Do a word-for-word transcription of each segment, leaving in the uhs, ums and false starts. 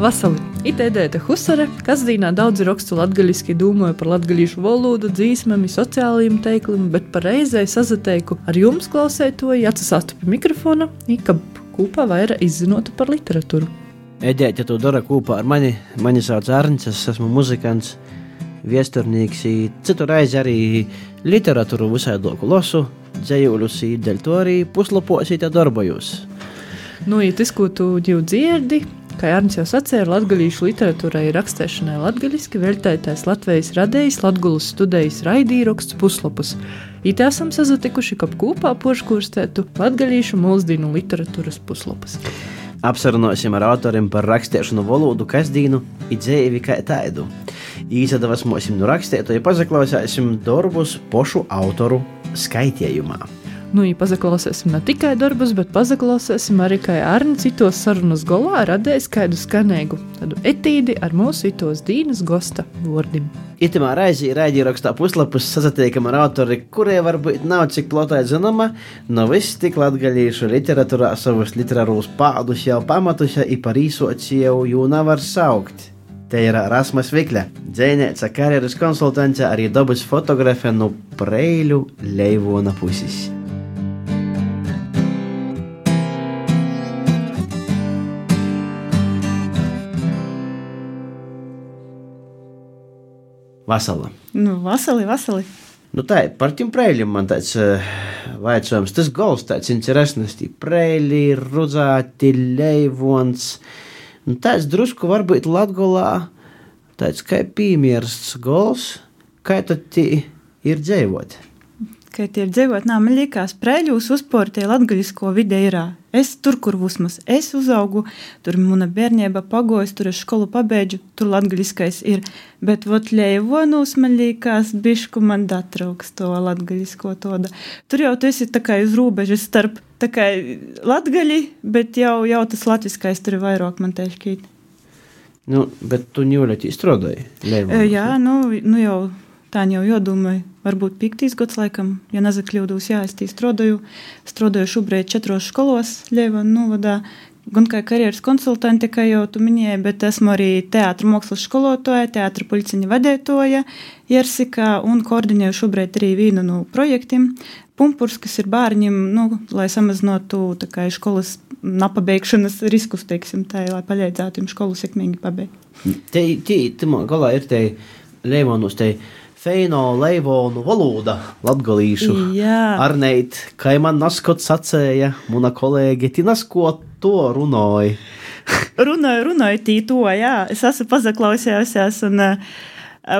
Vasali! Ite Edēte Husare, kasdīnā daudzi rakstu latgaļiski dūmoja par latgaļīšu valodu, dzīsmemi, sociālajiem teikliem, bet par reizei sazateiku ar jums klausētoji atsasāstu pie mikrofona, i kab kūpā vaira izzinotu par literatūru. Edēte to dara kūpā ar mani. Mani sauc Arnis, es esmu muzikants, viesturnieks, i citu reizi arī literatūru visaidoku losu, dzējuļus, i dēļ to arī puslapos i te darbojos. Nu, ja tas, ko tu jau dzirdi, kā Arnis jau sacēja, latgaļīšu literatūrai rakstēšanai latgaļiski veļtētais Latvijas radējs Latgulas studējas raidīraksts puslapus. Ite esam sazatikuši, kap kūpā poškūrstētu latgaļīšu mūsdīnu literatūras puslapus. Apsarunosim ar autoriem par rakstēšanu valodu kasdīnu i dzēvi kā taidu. Īsadavasmosim nu rakstētu, ja pazaklausēsim darbus pošu autoru skaitējumā. Nu, ja pazaklausēsim ne tikai darbus, bet pazaklausēsim arī, kā Arnis citos sarunas golā radējis kādu skanēgu, tādu etīdi ar mūsu itos dīnas gosta vordim. Itamā reizi raidīrakstā puslapus sazatiekam ar autori, kurie varbūt nav cik plotai zinama, no viss tik latgaļīšu literatūrā savus literārūs pādus jau pamatuša i par īsoci jau jū nevar saukt. Te ir Rasmas Vikļa, dzēnēca karjeras konsultante, arī dabas fotografe no Preiļu Leivona pusis. Vasala. Nu, vasali, vasali. Nu tā, par tiem Preiļiem man tāds uh, vaicojums. Tas gols tāds interesants, tī Preļi, Rudzāti, Leivons. Nu tāds drusku varbūt Latgolā tāds kā piemērsts gols, kā tad tī ir dzēvot? Kā tie ir dzēvot, nā, man liekas, Preļūs uzportie latgaļisko vide irā. Es tur, kur vismaz es uzaugu, tur muna bērnieba pagojas, tur es školu pabeidžu, tur latgaļiskais ir. Bet vot Leivonūs, man liekas, bišku man datrauks to latgaļisko toda. Tur jau tu esi tā kā uz rūbežas starp tā kā latgaļi, bet jau, jau tas latviskais tur ir vairāk man teiškīt. Nu, bet tu ņūļot izstrādāji Leivonūs? Jā, nu, nu jau tā jau jodomāju. Varbūt piektīs gads laikam, ja nezakļūdūs, jā, es tī strodoju. Strodoju šobrīd četros školos Leivona novadā, gan kā karjeras konsultanti, kā jau tu minēji, bet esmu arī teātra mākslas skolotoja, teātra puļciņa vadētoja Jersikā un koordinēju šobrīd arī vienu no projektiem. Pumpurs, kas ir bārņiem, nu, lai samazinotu tā kā školas napabeigšanas riskus, teiksim, tā, lai paļēdzētu viņu skolu sekmīgi pabeigt. Te, te, te galā ir te Leivonus, te feino leivonu valoda latgalīšu. Jā. Arneit, kai man naskot sacēja, muna kolēģi, ti nasko to runāja. runāju, runāju tī to, jā. Es esmu pazaklausējusies un uh,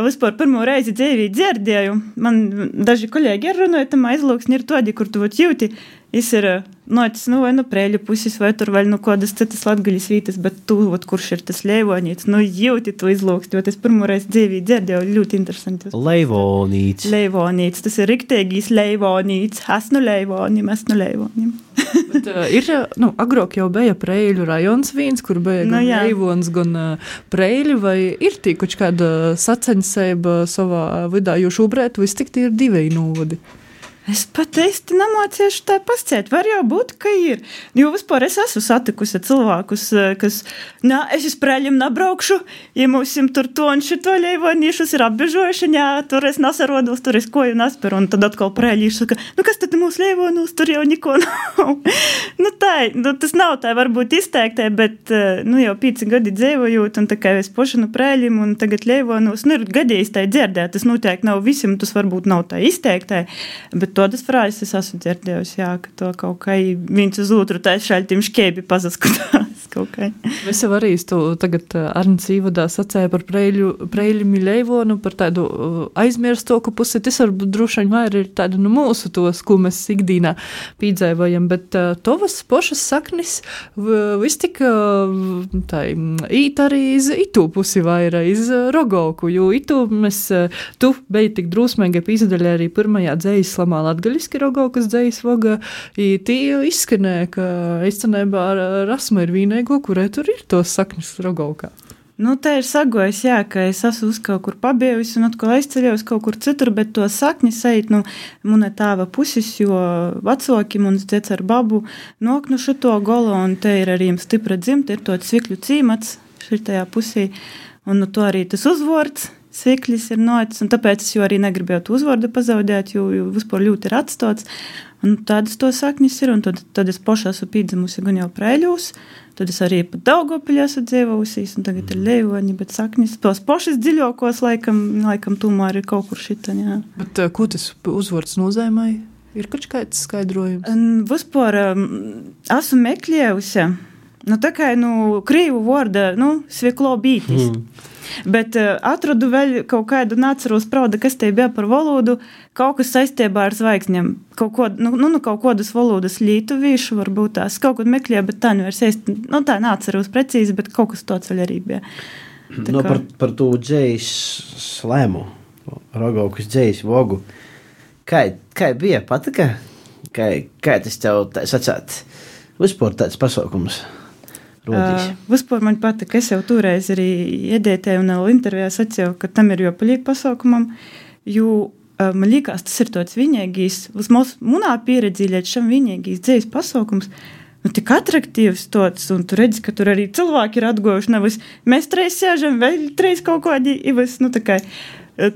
vispār pirmo reizi dzīvī dzirdēju. Man daži kolēģi ir runāja, tamā izlūksni ir todi, kur tu vot jūti, es ir notis, nu, vai nu Preļu pusis, vai tur vēl nu kādas citas latgaļas vītas, bet tu, vot, kurš ir tas Leivonīts, nu, jūti to izlūksti, jo es pirmo reizi dzīvī dzirdēju, ļoti interesanti. Leivonīts. Leivonīts, tas ir rikteigīs Leivonīts, esmu Leivonim, esmu Leivonim. Bet, uh, ir, nu, agrāk jau bija Preļu rajons viens, kur bija nu, gan jā. Leivons, gan uh, Preļi, vai ir tī kaut kāda saceņseiba savā vidā, jo šobrīd viss tik tie ir divi novadi? Es pat īsti nemāciešu tā pasciet. Var jau būt, ka ir. Jo vispār es esmu satikusi cilvēkus, kas, nā, es uz Preļiem nebraukšu, ja mūsim tur to un šito Leivonīšus ir apbežojuši, jā, tur es nesarodos, tur es koju nesperu, un tad atkal Preļīšu saka, nu kas tad mūsu Leivonūs, tur jau niko nav. nu tā, nu tas nav tā varbūt izteiktai, bet, nu jau pīci gadi dzīvojot, un tā kā es pošanu Preļiem, un tagad Leivonūs, nu ir gadījis tā dzirdēt, tas noteikti nav visiem, tas varbūt nav tā izteiktai, bet todas frāzes es esmu dzirdējusi, jā, ka to kaut kā viens uz otru tā šaļtim škēbi pazaskatās kaut kā. Mēs jau arī tu tagad Arnis īvadā sacēja par Preļu, Preļimi Leivonu, par tādu aizmirstoku pusi, tas varbūt drošaņ vairāk ir tāda nu mūsu tos, ko mēs ikdīnā pīdzēvojam, bet uh, tovas pošas saknis viss tik tā īt arī iz itū pusi vairāk, iz Rogovku, jo itū mēs, tu beji tik drūsmēgai pīzdaļā arī pirmajā dzējas slamā latgaļiski Rogovkas dzējas voga, i tī izskanēja, ka izcenībā Rasma ir vīneigo, kurai tur ir tos saknis Rogovkā. Nu, tā ir sagojis, jā, ka es esmu uz kaut kur pabiejusi un atkal aizceļojos kaut kur citur, bet to sakni sajūt, nu, muna tāva pusis, jo vacoki, muns dzets ar babu, nok nu šito golo, un te ir arī stipra dzimta, ir to Cvikļu cīmats, šitajā pusī. Un nu, to arī tas uzvords Sviklis ir nocis, un tāpēc es jau arī negribēju to uzvordu pazaudēt, jo, jo vispār ļoti ir atstots. Un tādas to saknis ir, un tad, tad es poši esmu pīdzemusi gan jau Preiļūs, tad es arī pat Daugopiļā esmu dzīvojusīs, un tagad ir Leivoņi, bet saknis tos pošas dziļokos laikam, laikam tomēr ir kaut kur šitaņ, jā. Bet uh, ko tas uzvords nozīmēja? Ir kaut kāds skaidrojums? Un vispār um, esmu meklējusi, nu tā kā, nu, krīvu vorda, nu, Sviklo bītis. Mm. Bet uh, atradu vēl kaut kādu nāceros prauda, kas te bija par valodu, kaut kas saistībā ar zvaigzņiem. Kaut ko, nu, nu, kaut kādas valodas lietuvīšu varbūt tās. Kaut ko meklēju, bet tā nevar sēst. Nu, tā nāceros precīzi, bet kaut kas tāds vēl arī bija. Tā no, kā... par, par to dzējas slēmu, Rogaukas dzējas vogu. Kā, kā bija patika? Kā, kā tas tev tā sacāt? Vispār tāds pasaukums? Uh, vispār man patika, es jau toreiz arī iedētēju un vēl intervijā sacīju, ka tam ir jopalīgi pasaukumam, jo uh, man liekas, tas ir tāds vienīgīs, vismaz munā pieredzi līdz šam vienīgīs dzējas pasaukums, nu tik atraktīvs tāds, un tu redzi, ka tur arī cilvēki ir atgojuši, nevis mēs treis sēžam, vēl treis kaut kādi, ivis, nu tā kā,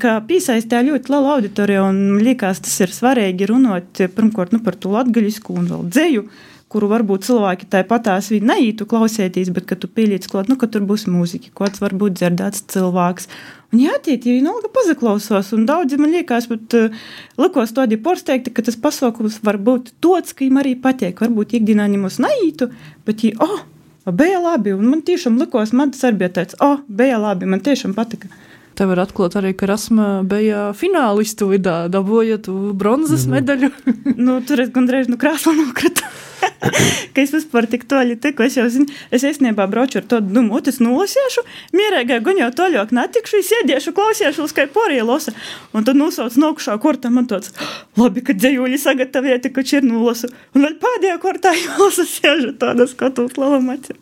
kā pīsaistē ļoti liela auditorija, un man liekas, tas ir svarīgi runot, pirmkārt, nu par to latgaļisku un vēl dzēju, kuru varbūt cilvēki tā patās viņi neītu klausētīs, bet, ka tu pīlīc klāt, nu, ka tur būs mūzika, kāds varbūt dzirdēts cilvēks. Un jātiet, ja viņi ilgi pazaklausos, un daudzi man liekas, bet uh, likos tādi porsteigti, ka tas pasaukums var būt tāds, ka viņam arī patiek, varbūt ikdienā ņemos neītu, bet viņi, oh, bija labi, un man tiešām likos, man tas arī bija tāds, oh, bija labi, man tiešām patika. Te var atklāt arī, ka Rasma bija finālistu vidā, dabojot bronzas mm-hmm. medaļu. Nu, tur es gandrīz nu krāslu nokratu. Ka es vispār tik toļi tiku, es jau zinu, es esniebā brauču ar to, nu, es nolasiešu, mierēgai gan jau toļok netikšu, es iediešu, klausiešu, lai porija losa. Un tad nosauc nokušā kortā man tāds, labi, ka dzejūļi sagatavieti, ka ir nolasu. Un vēl pēdējā kortā jālasa siežu tāda skatūt lalamaci.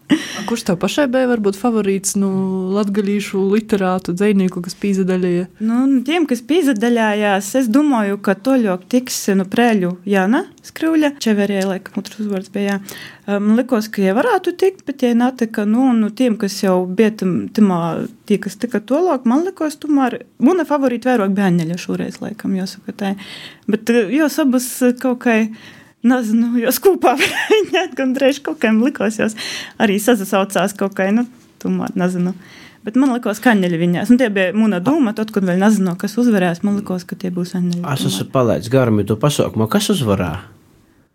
Kurš tev pašai bija varbūt favorīts, nu, latgalīšu literātu dzejnieku, kas pīzadaļēja? Nu, tiem, kas pīzadaļājās, es domāju, ka toļok tiks, nu, Prēļu Jāna Skriuļa, Čeverē, laikam, otrs uzvārds bija, jā. Man likos, ka ja varētu tikt, bet ja netika, nu, nu, tiem, kas jau bija timā, tie, kas tika tolāk, man likos, tomēr, muna favorīta vairāk bija Aņeļa šoreiz, laikam, jāsaka tā. Bet jos abas kaut kā, nezinu, jos kūpā viņa gandrīz kaut kā likos, jos arī sazasaucās kaut kā, nu, tomēr, nezinu. Bet man likos, ka Aņeļa viņās. Un tie bija muna doma, tad, kad vēl nezinu, kas uzvarēs, man likos, ka tie būs Aņeļa. Es esmu palaidis garami to pasaukumu. Kas uzvarā?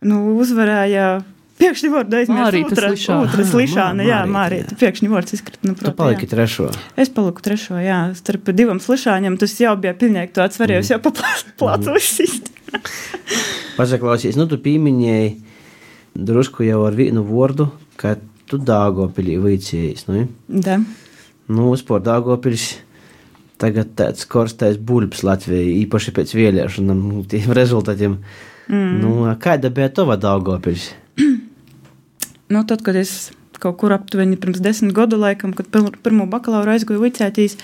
Nu, uzvarēja piekšņi vārdu aizmirst. Otras Lišāna, jā, Mārīta. Piekšņi vārds izkrita. Nu, tu paliki trešo. Es paliku trešo, jā. Starp divam Lišāņam tas jau bija pilnīgi tāds varējus mm. jau paplācu uzsist. Pasaklausies, nu tu pīmiņēji drusku jau ar vienu vārdu, ka tu Dāgopilī vicējies, nu? Da. Nu, uzpār Dāgopils tagad tāds korstais buļbs Latvijai, īpaši pēc vēlēšanām, tiem rezultātiem. Mm. Nu, kāda bija tova Daugavpils? Nu, tad, kad es kaut kur aptuveni pirms desmit gadu laikam, kad pirmo bakalauru aizgoju vicētīs,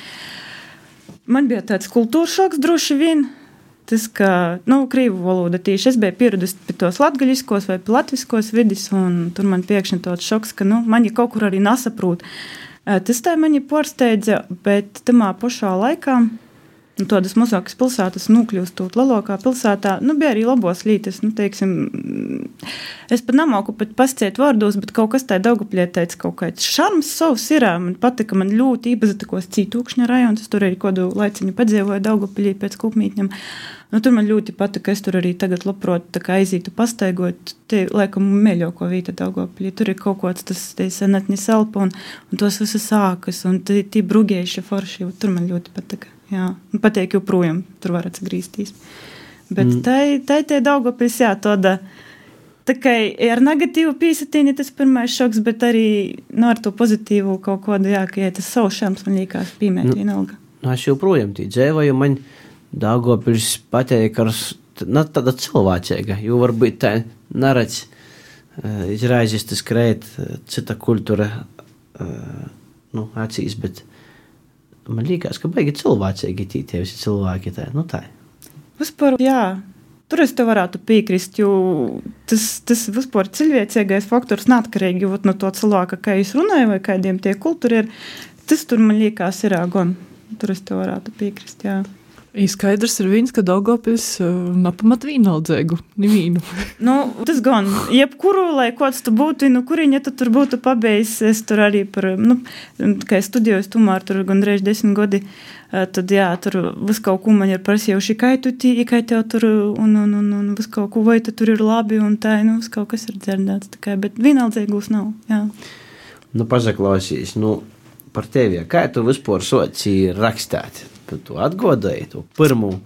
man bija tāds kultūras šoks droši vien. Tas, ka, nu, krīvu valoda tieši, es biju pieradusi pie tos latgaļiskos vai pie latviskos vidis, un tur man pēkšņi tāds šoks, ka, nu, mani kaut kur arī nesaprūt. Tas tā mani pārsteidza, bet tamā pašā laikā, nu, tādas mazākas pilsētas nokļūstot lielākā pilsētā, nu, bija arī labos lītes, nu, teiksim, es pat nemāku pat pasciet vārdos, bet kaut kas tā Daugavpilī teica kaut kāds šarms savs ir, man patika, man ļoti īpazatikos Cītūkšņa rajons, es tur arī kādu laiciņu padzīvoju Daugavpilī pēc Kupmītņam, nu, tur man ļoti patika, es tur arī tagad labprot tā kā aizītu pastaigot, te, laikam, mēļoko vīta Daugavpilī, tur ir kaut kāds tas, te senatnis elpa un, un tos visas sākas, un tī, tī brugējuši forši, tur man ļoti patika. Jā, pateik joprojām, tur var atsagrīstīs. Bet mm. tai, tai te Daugavpils, jā, tāda, tā kā ar negatīvu pīsatīni tas pirmais šoks, bet arī, nu, ar to pozitīvu kaut kādu, jā, ka, jā, tas savu šams man liekas pīmēt nu, vienalga. Nu, es joprojām tī dzēvoju, man Daugavpils pateik ar, nu, tāda cilvēcīga, jo varbūt tā neredz, izraizis tas krēt, cita kultūra, nu, acīs, bet man liekas, ka baigi cilvēcīgi tī tie visi cilvēki tā, nu tā. Vispār, jā, tur es te varētu piekrist, jo tas, tas vispār cilvēcīgais faktors neatkarīgi no to cilvēka, kā es runāju, vai kādiem tie kultūri ir, tas tur man liekas ir gan. Tur es te varētu piekrist, jā. Skaidrs ir viens, ka Daugavpils nepamat vienaldzēgu, nevīnu. Nu, tas gan, jebkuru, lai kāds tu būtu, nu, kuriņa tu tur būtu pabeidzis, es tur arī par, nu, kā es studējos tomēr tur gandrīz desmit gadi, tad jā, tur vis kaut ko man ir prasījuši, kā tu tī, kā tev tur, un, un, un, un vis kaut ko, vai tu tur ir labi, un tā, nu, vis kaut kas ir dzirdēts, tā kā, bet vienaldzēgus nav, jā. Nu, pazaklausīs, nu, par tevi, kā tu vispār soci rakstāt? Tu atgodēji to pirmu.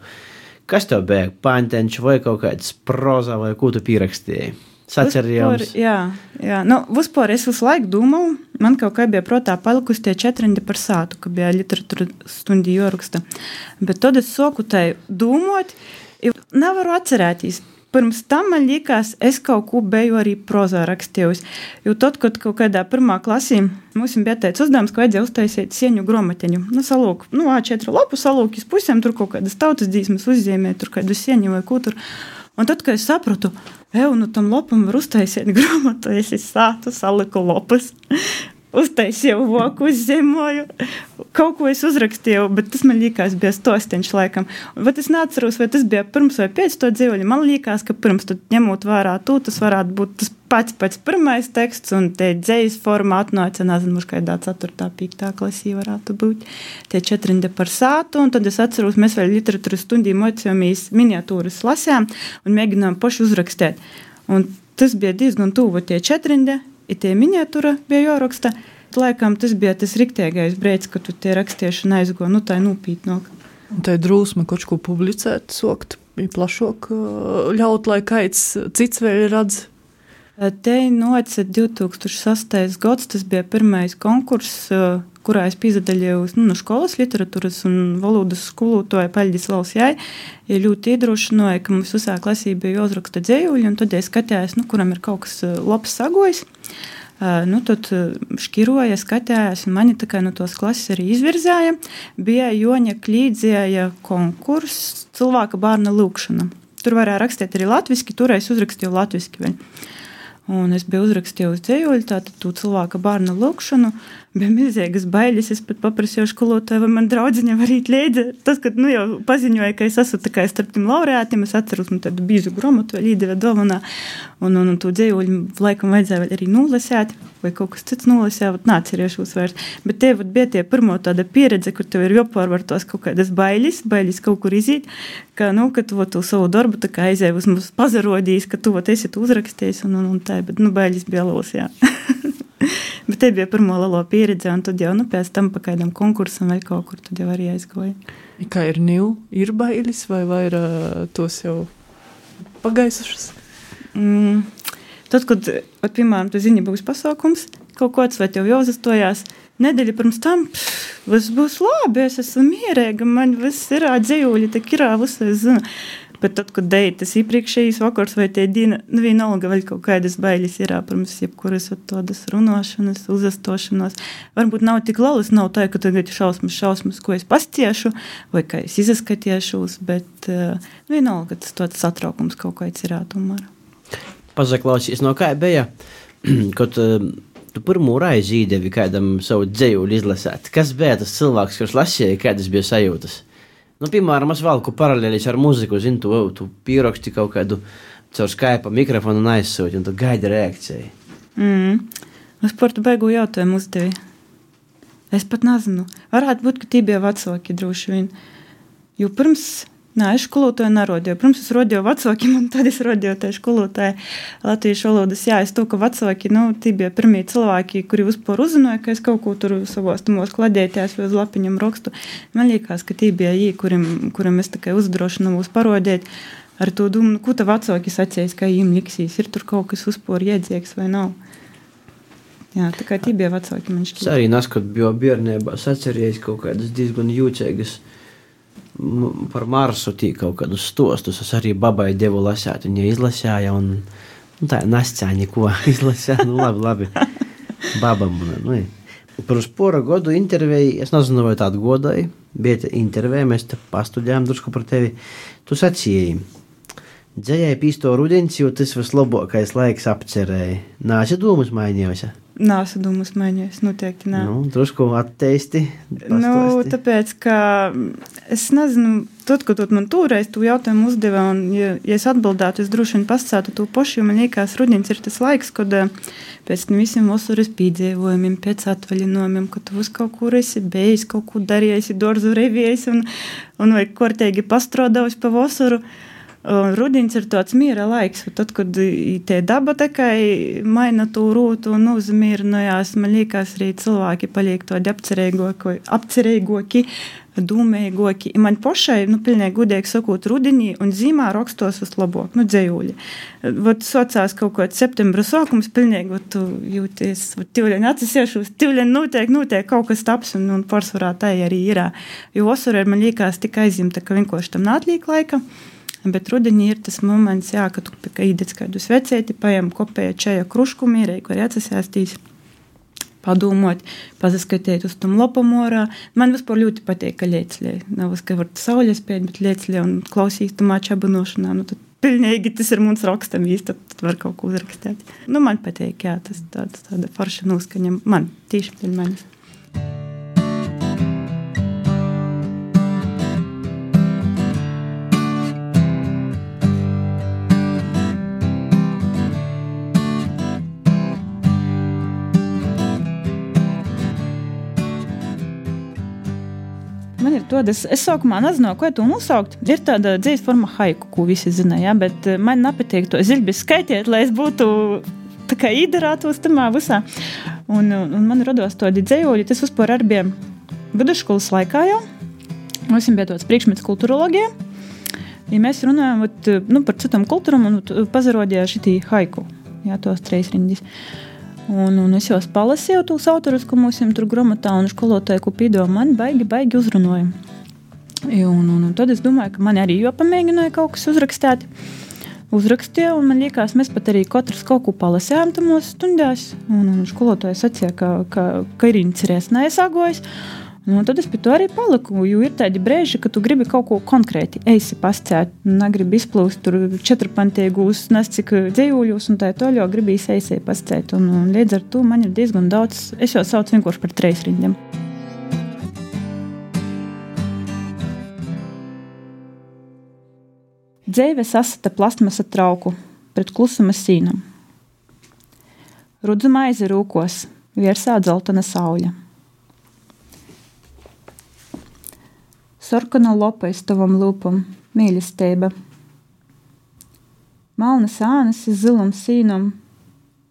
Kas tev bija? Pantenč vai kaut kāds proza vai ko tu pierakstīji? Sacerījums? Jā, jā. Nu, vispār es visu laiku domāju, man kaut kā bija protā palikusi tie četrindi par sātu, ka bija literatūra stundi joraksta. Bet tad es soku tai domot, jo nevaru atcerēties. Pirms tam man liekas, es kaut ko biju arī prozā rakstījusi. Jo tad, kad kaut kādā pirmā klasī mums bija teicis uzdevums, ka vajadzēja uztaisīt sieņu gromateņu. Nu, salūk, nu, A četri lapu salūk iz pusēm, tur kaut kādas tautas dzīsmes uzzīmē, tur kādu sieņu vai ko tur. Un tad, kad es sapratu, eju, nu tam lopam var uztaisīt gromatu, es sātu, saliku lopas. Uztaisīju voku, uzzīmoju, kaut ko es uzrakstīju, bet tas man liekas bija stostiņš laikam. Bet es neatceros, vai tas bija pirms vai pēc to dzīvoļu. Man liekas, ka pirms tad ņemot vērā to, tas varētu būt tas pats pats pirmais teksts, un te dzējas forma atnāca, nezinu, mums kādā ceturtā, piektā klasī varētu būt. Tie četrindi par sātu, un tad es atceros, mēs vēl literatūras stundī mocījāmies miniatūras lasām un mēģinām paši uzrakstīt. Un tas bija diezgan tuvu tie četrindi. I tie miniatūra bija jāraksta. Laikam tas bija tas riktīgais brīdis, kad tu tie rakstiešana aizgo, nu tā nūpītnāk. Un tā ir drūsma kaut ko publicēt, sokt, plašāk ļaut, lai kāds cits vēl redz. Te noca divtūkstoš sastais gads, tas bija pirmais konkurss, kurā es piedalījos nu, no skolas literatūras un valodas skolotāja Paļģis Valsjai. Ja ļoti iedrošināja, ka mums visā klasī bija jāuzraksta dzējuļi, un tad es skatījos, nu, kuram ir kaut kas labs sagojis. Nu, tad škiroja, skatījās, un mani tā kā no tos klases arī izvirzēja. Bija Joņa Klīdzēja konkurss cilvēka bārna lūkšana. Tur varēja rakstīt arī latviski, tur es uzrakstīju latviski vēl. Un es biju uzrakstījusi dzējuļu, tātad tu cilvēka bārna lūkšanu, bija milzīgas bailes, es pat paprasīju skolotāju, vai man draudziņa var īt līdzi. Tas, kad nu jau paziņoja, ka es esmu tā kā starp tiem laureātiem, es atceros, man tādu bīzu gromatu vēl īdeva dovanā, un, un, un tu dzējuļu laikam vajadzēja vēl arī nolasēt, vai kaut kas cits nolasēt, vat nācerēšos vairs. Bet te vat bija tie pirmo tāda pieredze, kur tev ir jopārvar tos kaut kādas bailes, bailes kaut kur izīt, ka, nu, ka tu vat tu savu darbu tā kā aizēja uz mums pazarodījis, ka tu vat esi tu uzrakstījis, un, un, un tā, bet, nu, bailes bija los, jā. Bet te bija pirmo lelo pieredze, un tad jau, nu, pēc tam pa kādam konkursam vai kaut kur, tad jau arī aizgoja. Kā ir niu, ir bailes vai vairā tos jau pagaisušas? Mm, tad, kad, at, piemēram, tu zini, būs pasaukums, kaut kāds vai tev jāuzastojās, nedēļa pirms tam, pff, viss būs labi, es esmu mierīga, man viss ir dzējuļi, tak ir, viss es zinu. Bet tad, kad deja tas iepriekšējais vakars vai tie dīna, nu vienalga vēl kaut kādas bailes ir, pirms jebkuras tādas runāšanas, uzastošanos. Varbūt nav tik lalas, nav tā, ka tagad šausmas, šausmas, ko es pastiešu, vai kā es izaskatiešos, bet nu, vienalga, tas tāds satraukums kaut kāds ir tomēr. Pazaklausīs, no kā bija, kad tu pirmo raizi īdevi kādam savu dzējuļu izlasēt. Kas bija tas cilvēks, kurš lasīja, kādas bija sajūtas? Nu, piemēram, es valku paralēlis ar muziku, zinu, tu, tu pieraksti kaut kādu caur Skype mikrofonu un aizsūti, un tu gaidi reakciju. Mm. Es par tu beigu jautājumu uzdevi. Es pat nezinu. Varētu būt, ka tī bija vecāki droši vien. Jo pirms, nē, es skolotāju nerodīju. Pirms es rodīju vecākiem, un tad es rodīju tai skolotāju latviešu valodas. Jā, es to, ka vecāki, nu, tī bija pirmie cilvēki, kuri vispār uzzināja, ka es kaut ko tur savos tumos kladēties vai uz lapiņam rakstu. Man liekas, ka tī bija jī, kurim, kurim es tikai uzdrošinu mūs parodēt. Ar to domu, ko ta vecāki sacīs, kā jīm liksīs. Ir tur kaut kas vispār iedzīgs vai nav. Jā, tā kā tī bija vecāki, man šķiet. Es arī neskot biju bērnībā sacerējis kaut kādas diezgan jūcīgas par Marsu tī kaut kādus stostus. Es arī babai devu lasēt, un ja izlasēja, un, un tā nascā neko izlasēja, nu labi, labi. Baba man, nu, pirms pora godu intervēju, es nezinu, vai tādu godāju, bija intervēja, mēs te pastudējām drusku par tevi. Tu sacīji, Dzējai pīsto rudenis, jo tas vislabākais laiks apcerēja. Nāsi domas mainījusi? Nāsi domas mainījusi, noteikti nā. Nu, drusku atteisti. Nu, tāpēc, ka es nezinu, tad, kad man tūreiz tu jautājumu uzdeva, un ja, ja es atbildētu, es droši vien pasacātu to pašu, jo man liekas, rudenis ir tas laiks, kad pēc visiem vasaras pīdzēvojumiem, pēc atvaļinojumiem, kad tu uz kaut kur esi bejis, kaut ko darījis, dorzu revijis un, un vai kortēgi pastrodavus pa vasaru. Rudenis ir tāds miera laiks, tad, kad te daba tikai maina to rūtu un uzmierinājās, man liekas, arī cilvēki paliek tādi apcerīgoki, apcerīgoki, dūmīgoki. Man pašai, nu, pilnīgi gudīgi sakot, rudenī un zīmā rakstos vislabāk, nu, dzējūļi. Vot socās kaut kāds septembra sākums, pilnīgi, vot tu jūties, vot tivļaņ atsasiešos, tivļaņ notiek, notiek kaut kas taps, un, un pārsvarā tā arī ir. Jo vasarā man liekas tik aizimta, ka vienkārši tam nātlīk laika. Bet rudenī ir tas moments, jā, ka tu īdec kādu svecēti, pajem kopēja čaja krušku mīrei, kur jāatsasēstīs, padomot, pazaskatīt uz tom lopamorā. Man vispār ļoti patīk, ka liecļē. Nav uz, ka var saules pēt, bet liecļē un klausīs tu māča abinošanā. Nu, tad pilnīgi tas ir mums rakstam īsti, tad, tad var kaut ko uzrakstēt. Nu, man patīk, jā, tas tāds, tāda forša noskaņa. Man, tīši pēc manis. Man ir tāda, es, es sākumā nezinu, ko to nosaukt. Ir tāda dzīves forma haiku, ko visi zina, ja? Bet man nepatīk to ziļbis skaitiet, lai es būtu tā kā īdarātos tamā visā. Un, un man rados tādi dzējoļi, tas vispār arī bija vidusskolas laikā jau. Mums bija tāds priekšmets kulturologija. Ja mēs runājam vat, nu, par citam kultūram un pazarodīja šitī haiku, jā, tos treis rindis. Un, un es jau palasīju tūs autorus, ko mums tur gramatā un skolotāju, ko pīdo, man baigi, baigi uzrunoja. Un, un, un tad es domāju, ka man arī jopamēģināja kaut kas uzrakstēt. Uzrakstīju, un man liekas, mēs pat arī katrs kaut ko palasījām tamos stundās. Un, un skolotāju sacīja, ka, ka, ka ir incerēs neesāgojas. Un tad es pie to arī paliku, jo ir tādi brēži, ka tu gribi kaut ko konkrēti eisi pascēt, negribi izplūst tur četrpantīgūs, nes cik dzējūļus un tā toļo gribi eisi pascēt. Un, un līdz ar to man ir diezgan daudz, es jau saucu vienkārši par treis rindiem. Dzēve sasata plastmasa trauku pret klusuma sīnam. Rudzu maizi rūkos, viersā dzeltena sauļa. Sarkana lopa iz tavam lūpam, mīlestība. Malnas ānas iz zilam sīnam,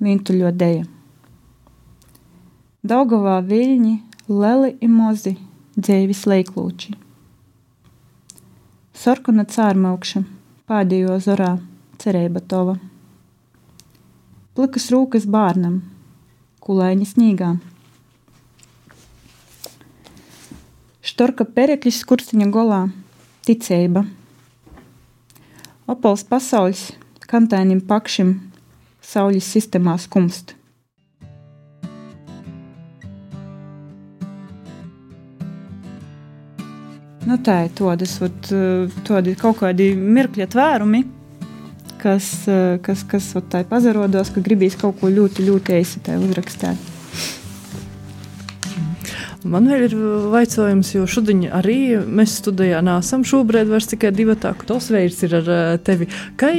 vintuļo deja. Daugavā viļņi, leli i mozi, dzēvis leiklūči. Sarkana cārmaukša, pādējo zorā, cerēba tova. Plikas rūkas bārnam, kulaiņi snīgā. Štorka perekļis skurstiņa golā, ticeiba. Opals pasauļs, kantainim pakšim, sauļas sistemā skumst. Nu tā ir todas, todi kaut kādi mirkļa tvērumi, kas, kas, kas tā pazarodos, ka gribīs kaut ko ļoti, ļoti eisi tā uzrakstēt. Man vēl ir vaicojums, jo šodien arī mēs studijā nāsam šobrīd vairs tikai divatā, ka tos veids ir ar tevi. Kā,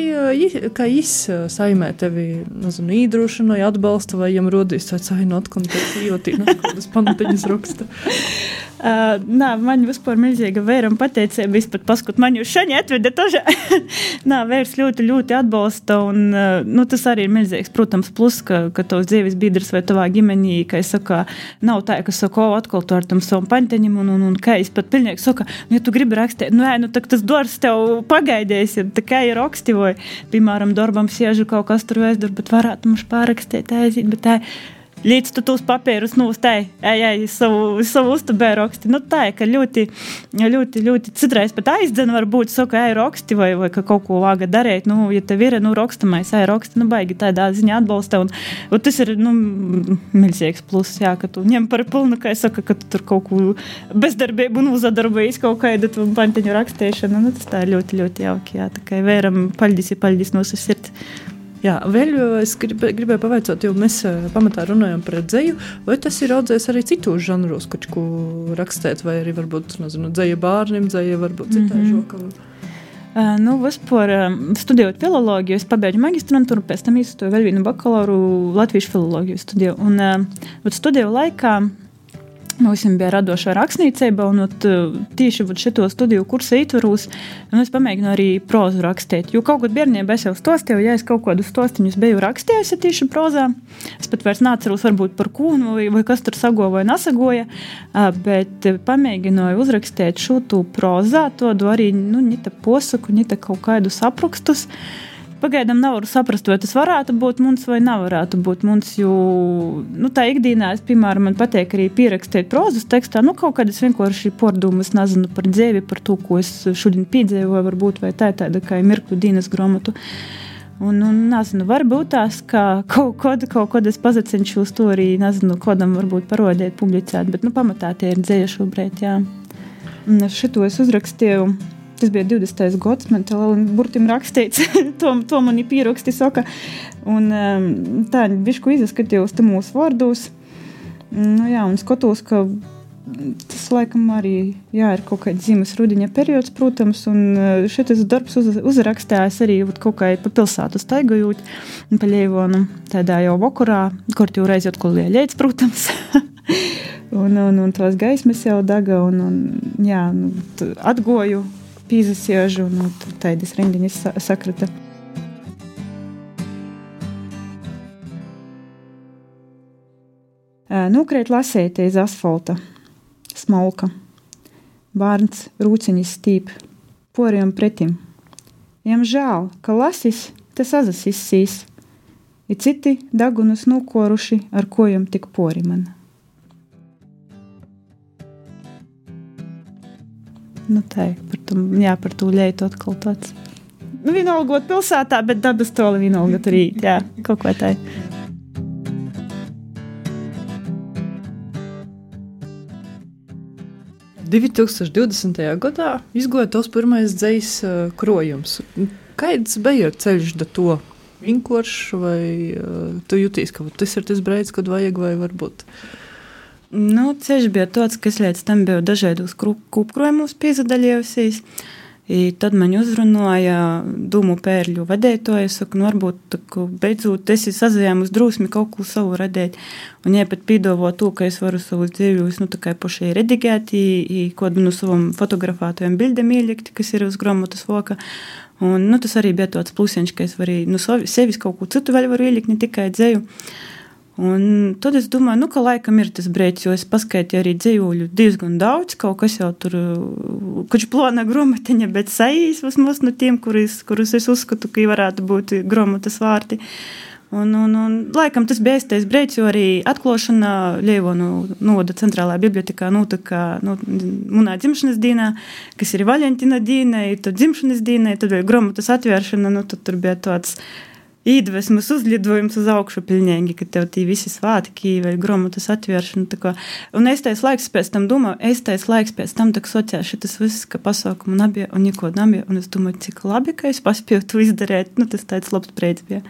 kā jis saimē tevi, nezinu, īdrošinoja, atbalsta, vai jam rodīs tāds ainot, un tāds ījotī, kādas panteņas raksta? Uh, nā, man vispār milzīga vēram pateicība, es pat paskut, man jūs šaņi atveda toža. Nā, vērs ļoti, ļoti atbalsta, un, uh, nu, tas arī ir milzīgs, protams, plus, ka, ka tavs dzīves biedrs vai tavā ģimenī, ka es saka, nav tā, ka saka, o, atkal tu ar tam savam panteņim, un, un, un ka es pat pilnīgi saka, nu, ja tu gribi rakstīt, nu, jā, nu, tak tas dors tev pagaidēs, ir tā kā ir raksti, vai, piemēram, darbam siežu kaut kas tur vēstur, bet varētu mums pārakstīt, aizīt, bet tā, līdz tu tos papīrus nūstēji, ej, ej, savu, savu uztabē raksti. Nu tā, ka ļoti, ļoti, ļoti citreiz pat aizdzen varbūt, saka, ej, raksti vai, vai ka kaut ko vāga darēt, nu, ja tev ir, nu, rakstamais, ej, raksti, nu, baigi tādā ziņā atbalsta, un, un tas ir, nu, milzīgs plus, jā, ka tu ņem par pilnu, kā es saka, ka tu tur kaut ko bezdarbību un uzadarbējis kaut kādu panteņu rakstēšanu, nu, tas tā ir ļoti, ļoti jauki, jā, tā kā vēram paļdis, ja paļdis no savas sirds. Jā, vēl es grib, gribēju pavaicot, jo mēs pamatā runājam par dzeju, vai tas ir audzējis arī citos žanros, kočku rakstēt, vai arī varbūt, nezinu, dzeja bārnim, dzeja varbūt citā mm-hmm. žokam? Uh, nu, vispār uh, studējot filologiju, es pabeidzu magistrantūru, pēc tam izstoju vēl vienu bakalauru latviešu filologiju studiju. Un uh, studiju laikā mums bija radošā rakstniecība, un ot, tieši šito studiju kursa ietvaros es pamēģinu arī prozu rakstīt. Jo kaut kad bērnībā es jau stostīju, ja es kaut kādus stostiņus biju rakstījusi tieši prozā, es pat vairs nāceros varbūt par kūnu vai, vai kas tur sagoja vai nesagoja, bet pamēģināju uzrakstīt šūtu prozā, to arī, nu, nita posaku, nita kaut kādus aprakstus. Pagaidām nevaru saprast, vai tas varētu būt mums vai nevarētu būt mums, jo, nu, tā ikdienā, es, piemēram, man patīk arī pierakstīt prozas tekstā, nu, kaut kādas vienkārši pārdomas, nezinu, par dzēvi, par to, ko es šodien piedzīvoju, varbūt, vai tā tāda kā mirkļu dienas grāmatu. Un, un, nezinu, varbūt tās, ka kaut kod, kaut kod es pazacenšu uz to arī, nezinu, kodam varbūt parodēt, publicēt, bet, nu, pamatā tie ir dzēja šobrīd, jā. Un šito es uzrakstīju. Tas bija divdesmitais gads, man tā burtim rakstīts, to, to mani pieraksti saka. Un tā, bišku izaskatījos te mūsu vārdos. Nu jā, un skatos, ka tas laikam arī, jā, ir kaut kāds zimas rudiņa periods, protams, un šitas darbs uz, uzrakstējās arī kaut kā pa pilsētu staigājot, pa Leivonu, tādā jau vakarā, kort jau reizi atkal lieļēts, protams. un, un, un tos gaismas jau daga, un, un jā, nu, atgoju, pīzasiežu, nu, tādas rindiņas sakrata. Nukrēt lasēt iz asfalta, smolka. Bārns rūciņas stīp, poriem pretim. Jam žēl, ka lasis, tas azas izsīs. I citi dagunus nukoruši, ar kojam tik pori man. Nu tā, par to, jā, par to ļeitu atkal tāds. Nu, vienalgot pilsētā, bet dabas toli vienalgot arī, jā, kaut ko tā. divi tūkstoši divdesmitajā gadā izgoja tos pirmais dzejas uh, krojums. Kāds bija ceļš da to? Vienkārši vai uh, tu jutīs, ka tas ir tas brīdis, kad vajag vai varbūt? Nu, ceļš bija tāds, ka es līdz tam biju dažādos kūpkrojumus piezadaļējusies. I tad man uzrunāja Dūmu pērļu vadētoja, saka, nu varbūt beidzot esi sazajāmus drūsmi kaut ko savu radēt. Un ja pat pīdovo to, ka es varu savus dzīvjus, nu tā kā pašai redigēt, i, i kodu no savam fotografātojiem bildēm ielikt, kas ir uz grāmatas voka. Un, nu, tas arī bija tāds plusiņš, ka es varu, nu, sevis kaut ko citu vēl varu ielikt, ne tikai dzēju. Un tad es domāju, nu, ka laikam ir tas brīdis, jo es paskaitīju arī dzējuļu diezgan daudz, kaut kas jau tur, koč plāna grāmatiņa, bet saīs vismaz no tiem, kurus, kurus es uzskatu, ka varētu būt grāmatas vārti. Un, un, un laikam tas bija īstais brīdis, jo arī atklāšana Leivonu novada centrālajā bibliotekā notika nu, munā dzimšanas dienā, kas ir Valentina diena, tad dzimšanas diena, tad bija grāmatas atvēršana, nu, tad tur bija tāds īdvesmas uzlidojums uz augšu pilnīgi, ka tev tī visi svātki vai grāmatas atvēršana. Tā un eistais laiks pēc tam domāju, eistais laiks pēc tam tak sociāli šitas viss, ka pasaukumu nabija un neko nabija. Un es domāju, cik labi, ka es paspēju to izdarēt. Nu, tas tāds labs brīdis bija.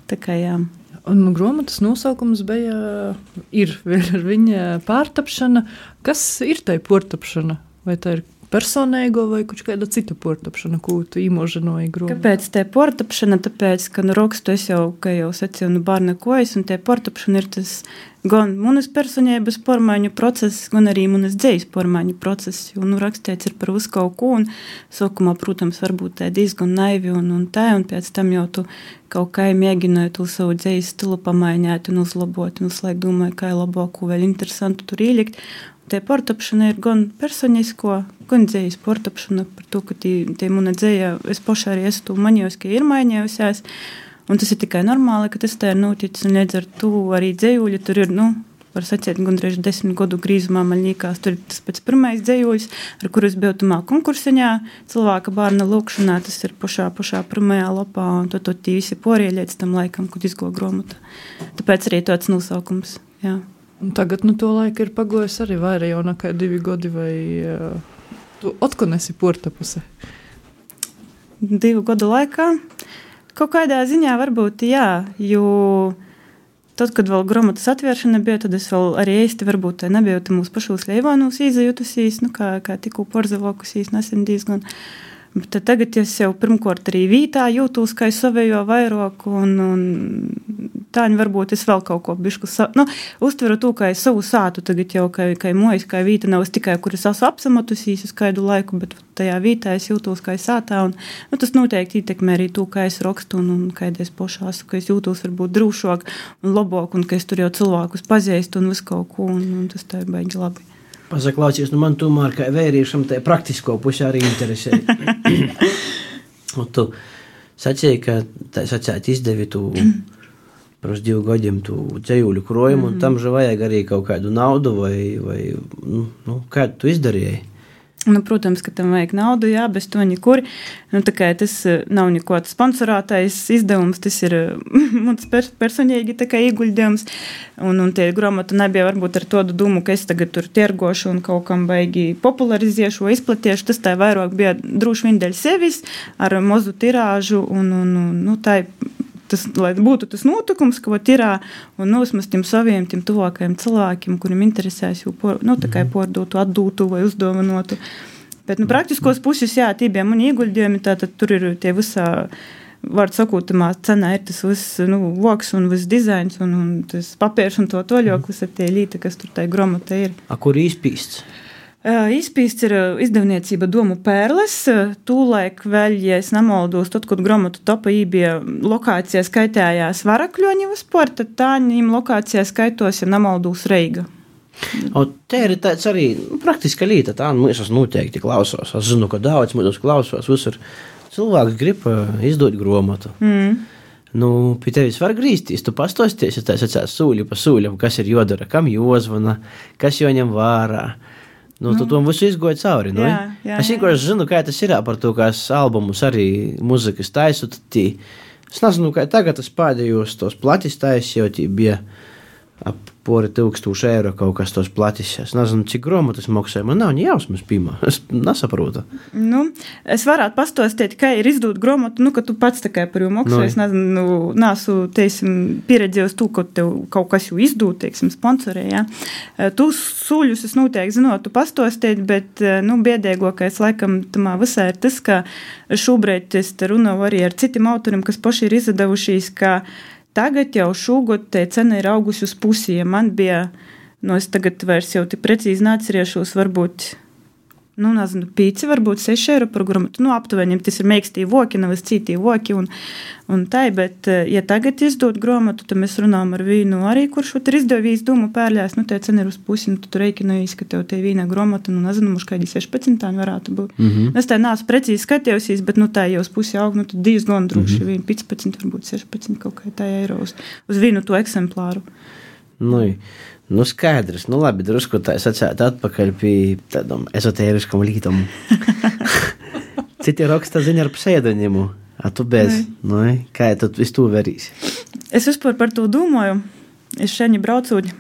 Tā kā jā. Un grāmatas nosaukums bija, ir ar viņa pārtapšana. Kas ir tai pārtapšana? Vai tā ir personīgo vai kaut kāda cita portapšana, ko tu īmožanoji grāmatā? Kāpēc te portapšana? Tāpēc, ka nu rakstu es jau, kā jau sacīju, nu bārna kojas, un te portapšana ir tas gan manas personības pormaiņu process, gan arī manas dzejas pormaiņu process, jo nu rakstēts ir par visu kaut ko, un sākumā, protams, varbūt tā diezgan naivi un, un tā, un pēc tam jau tu kaut kā mēģināji to savu dzejas stilu pamaiņāt un uzlabot, un uzlaik domāju, kā labāko vēl interesantu tur ielikt. Te portapšana ir gan personisko, gan dzejas portapšana par to, ka tie, tie muna dzeja, es pašā arī esmu to manījos, ka ir mainījusies. Un tas ir tikai normāli, ka tas tā ir noticis, un līdz ar to arī dzejūļi tur ir, nu, var sacīt, gandrīz desmit gadu grīzumā man liekas, tur ir tas pēc pirmais dzejūļs, ar kurus biju tumā konkursiņā, cilvēka bārna lūkšanā, tas ir pašā, pašā pirmajā lapā, un to, to tī visi porie līdz tam laikam, kad izgo gromata. Tāpēc arī tāds nosaukums, jā. Un tagad, nu, to laika ir pagojis arī vairāk jau nekā divi gadi, vai uh, tu otkon esi portapuse? Divu gadu laikā? Kaut kādā ziņā varbūt, jā, jo tad, kad vēl gromatas atvēršana bija, tad es vēl arī īsti varbūt nebiju mūsu pašos Leivānūs izjutusīs, nu, kā, kā tikko porzavokusīs nesen diezgan. Bet tagad es jau pirmkort arī vītā jūtos, kā es savējo vairāk, un, un tāņi varbūt es vēl kaut ko bišku, sa... nu, uztveru to, kā es savu sātu tagad jau, kā, kā mojas, kā vīta nav es tikai, kur es esmu apsamatusīs uz kādu laiku, bet tajā vītā es jūtos, kā es sātā, un nu, tas noteikti ietekmē arī to, kā es rakstu, un, un kā es pošā esmu, ka es jūtos varbūt drūšāk un labāk, un ka es tur jau cilvēkus pazīstu un visu kaut ko, un, un tas tā ir baigi labi. Pasaklaucies, nu man tomēr kā vērīšam tā praktisko pusi arī interesē. Un tu sacēji, ka tā sacēt izdevi tu pros divu gadiem tu dzejūļu krojumu, un tam že vajag arī kaut kādu naudu, vai, vai nu, nu, kādu tu izdarīji? Nu, protams, ka tam vajag naudu, jā, bez to nekur. Nu, tā kā tas nav nekot sponsorātais izdevums, tas ir mums personīgi tā kā ieguļdījums. Un, un tie gromata nebija varbūt ar tādu domu, ka es tagad tur tirgošu un kaut kam baigi populariziešu vai izplatiešu. Tas tā vairāk bija droši vien dēļ sevis ar mazu tirāžu un, un, un nu, tā tas, lai būtu tas notikums, ko tirā un nosmas tiem saviem, tiem tuvākajiem cilvēkiem, kuriem interesēs jau por, nu, tā kā pordotu, atdūtu vai uzdovanotu. Bet, nu, praktiskos puses, jā, tie bija mani ieguļdījumi, tātad tur ir tie visā, var sakot, tamā cenā ir tas viss, nu, voks un viss dizains un, un tas papīrs un to toļok, visa tie līta, kas tur tai gromata ir. A, kur izpīsts? Uh, izpīsts ir izdevniecība Domu Pērles. Tūlaik vēl, ja es nemaldos, tad, kad gromatu topa bija lokācijā skaitējās Varakļoņi vispār, tad tā viņam lokācijā skaitos, ja nemaldos, Reiga. O, te ir tāds arī nu, praktiska līta, tā mēs es noteikti klausos. Es zinu, ka daudz mūs klausos, visur cilvēks grib izdot gromatu. Mm. Nu, pie tevis var grīzties, tu pastosties, ja tā sacās sūļu pa sūļam, kas ir jodara, kam jozvana, kas joņem vārā. Nu, tu to visu izgoji cauri, nu? Jā, jā, es vienkārši zinu, kā tas ir par to, kā albumus arī muzikas taisu, tad tī, es nezinu, kā tagad es pēdējos tos platis taisu, jo tī bija ap pori tūkstūši eiro kaut kas tos platis. Es nezinu, cik gromatas maksāja, man nav jausmas pīmā, es nesaprotu. Nu, es varētu pastostēt, kā ir izdot gromatu, nu, ka tu pats tā kā par jau maksāju, no. Es nezinu, nāsu, teiksim, pieredzējos tu, ka tev kaut kas jau izdot, teiksim, sponsorē, jā. Tu sūļus es noteikti zinot, tu pastostēt, bet, nu, biedēgokais laikam tamā visā ir tas, ka šobrīd es te runāju arī ar citiem autoriem, kas paši ir izdevušies, ka tagad jau šogad te cena ir augusi uz pusi, ja man bija, nu es tagad vairs jau tik precīzi neatcerēšos, varbūt, nu nezinu, pīci, varbūt seši eiro par gromatu, nu aptuveni, tas ir meikstīji voki, nav es cītīji voki un, un tai, bet ja tagad izdot gromatu, tad mēs runājam ar vīnu arī, kurš ir izdevījis Domu Pērļās, nu te cena ir uz pusi, nu tu reikinājīs, ka tev te vīna gromata, nu nezinu, mums kādi sešpadsmit varētu būt. Mm-hmm. Es tā nāsu precīzi skatījosies, bet nu tā jau uz pusi aug, nu tad diezgan droši, mm-hmm. vīna piecpadsmit, varbūt sešpadsmit kaut kā tā eiro uz, uz vīnu to eksemplāru. Nu, nu skaidrs, nu labi, drusku tā es atsētu atpakaļ pie tādam ezotēriskam lītam. Citi raksta ziņa ar pseidonimu, a tu bez, nu, kā tu visu to verīsi? Es vispār par to domāju, es šeit braucot,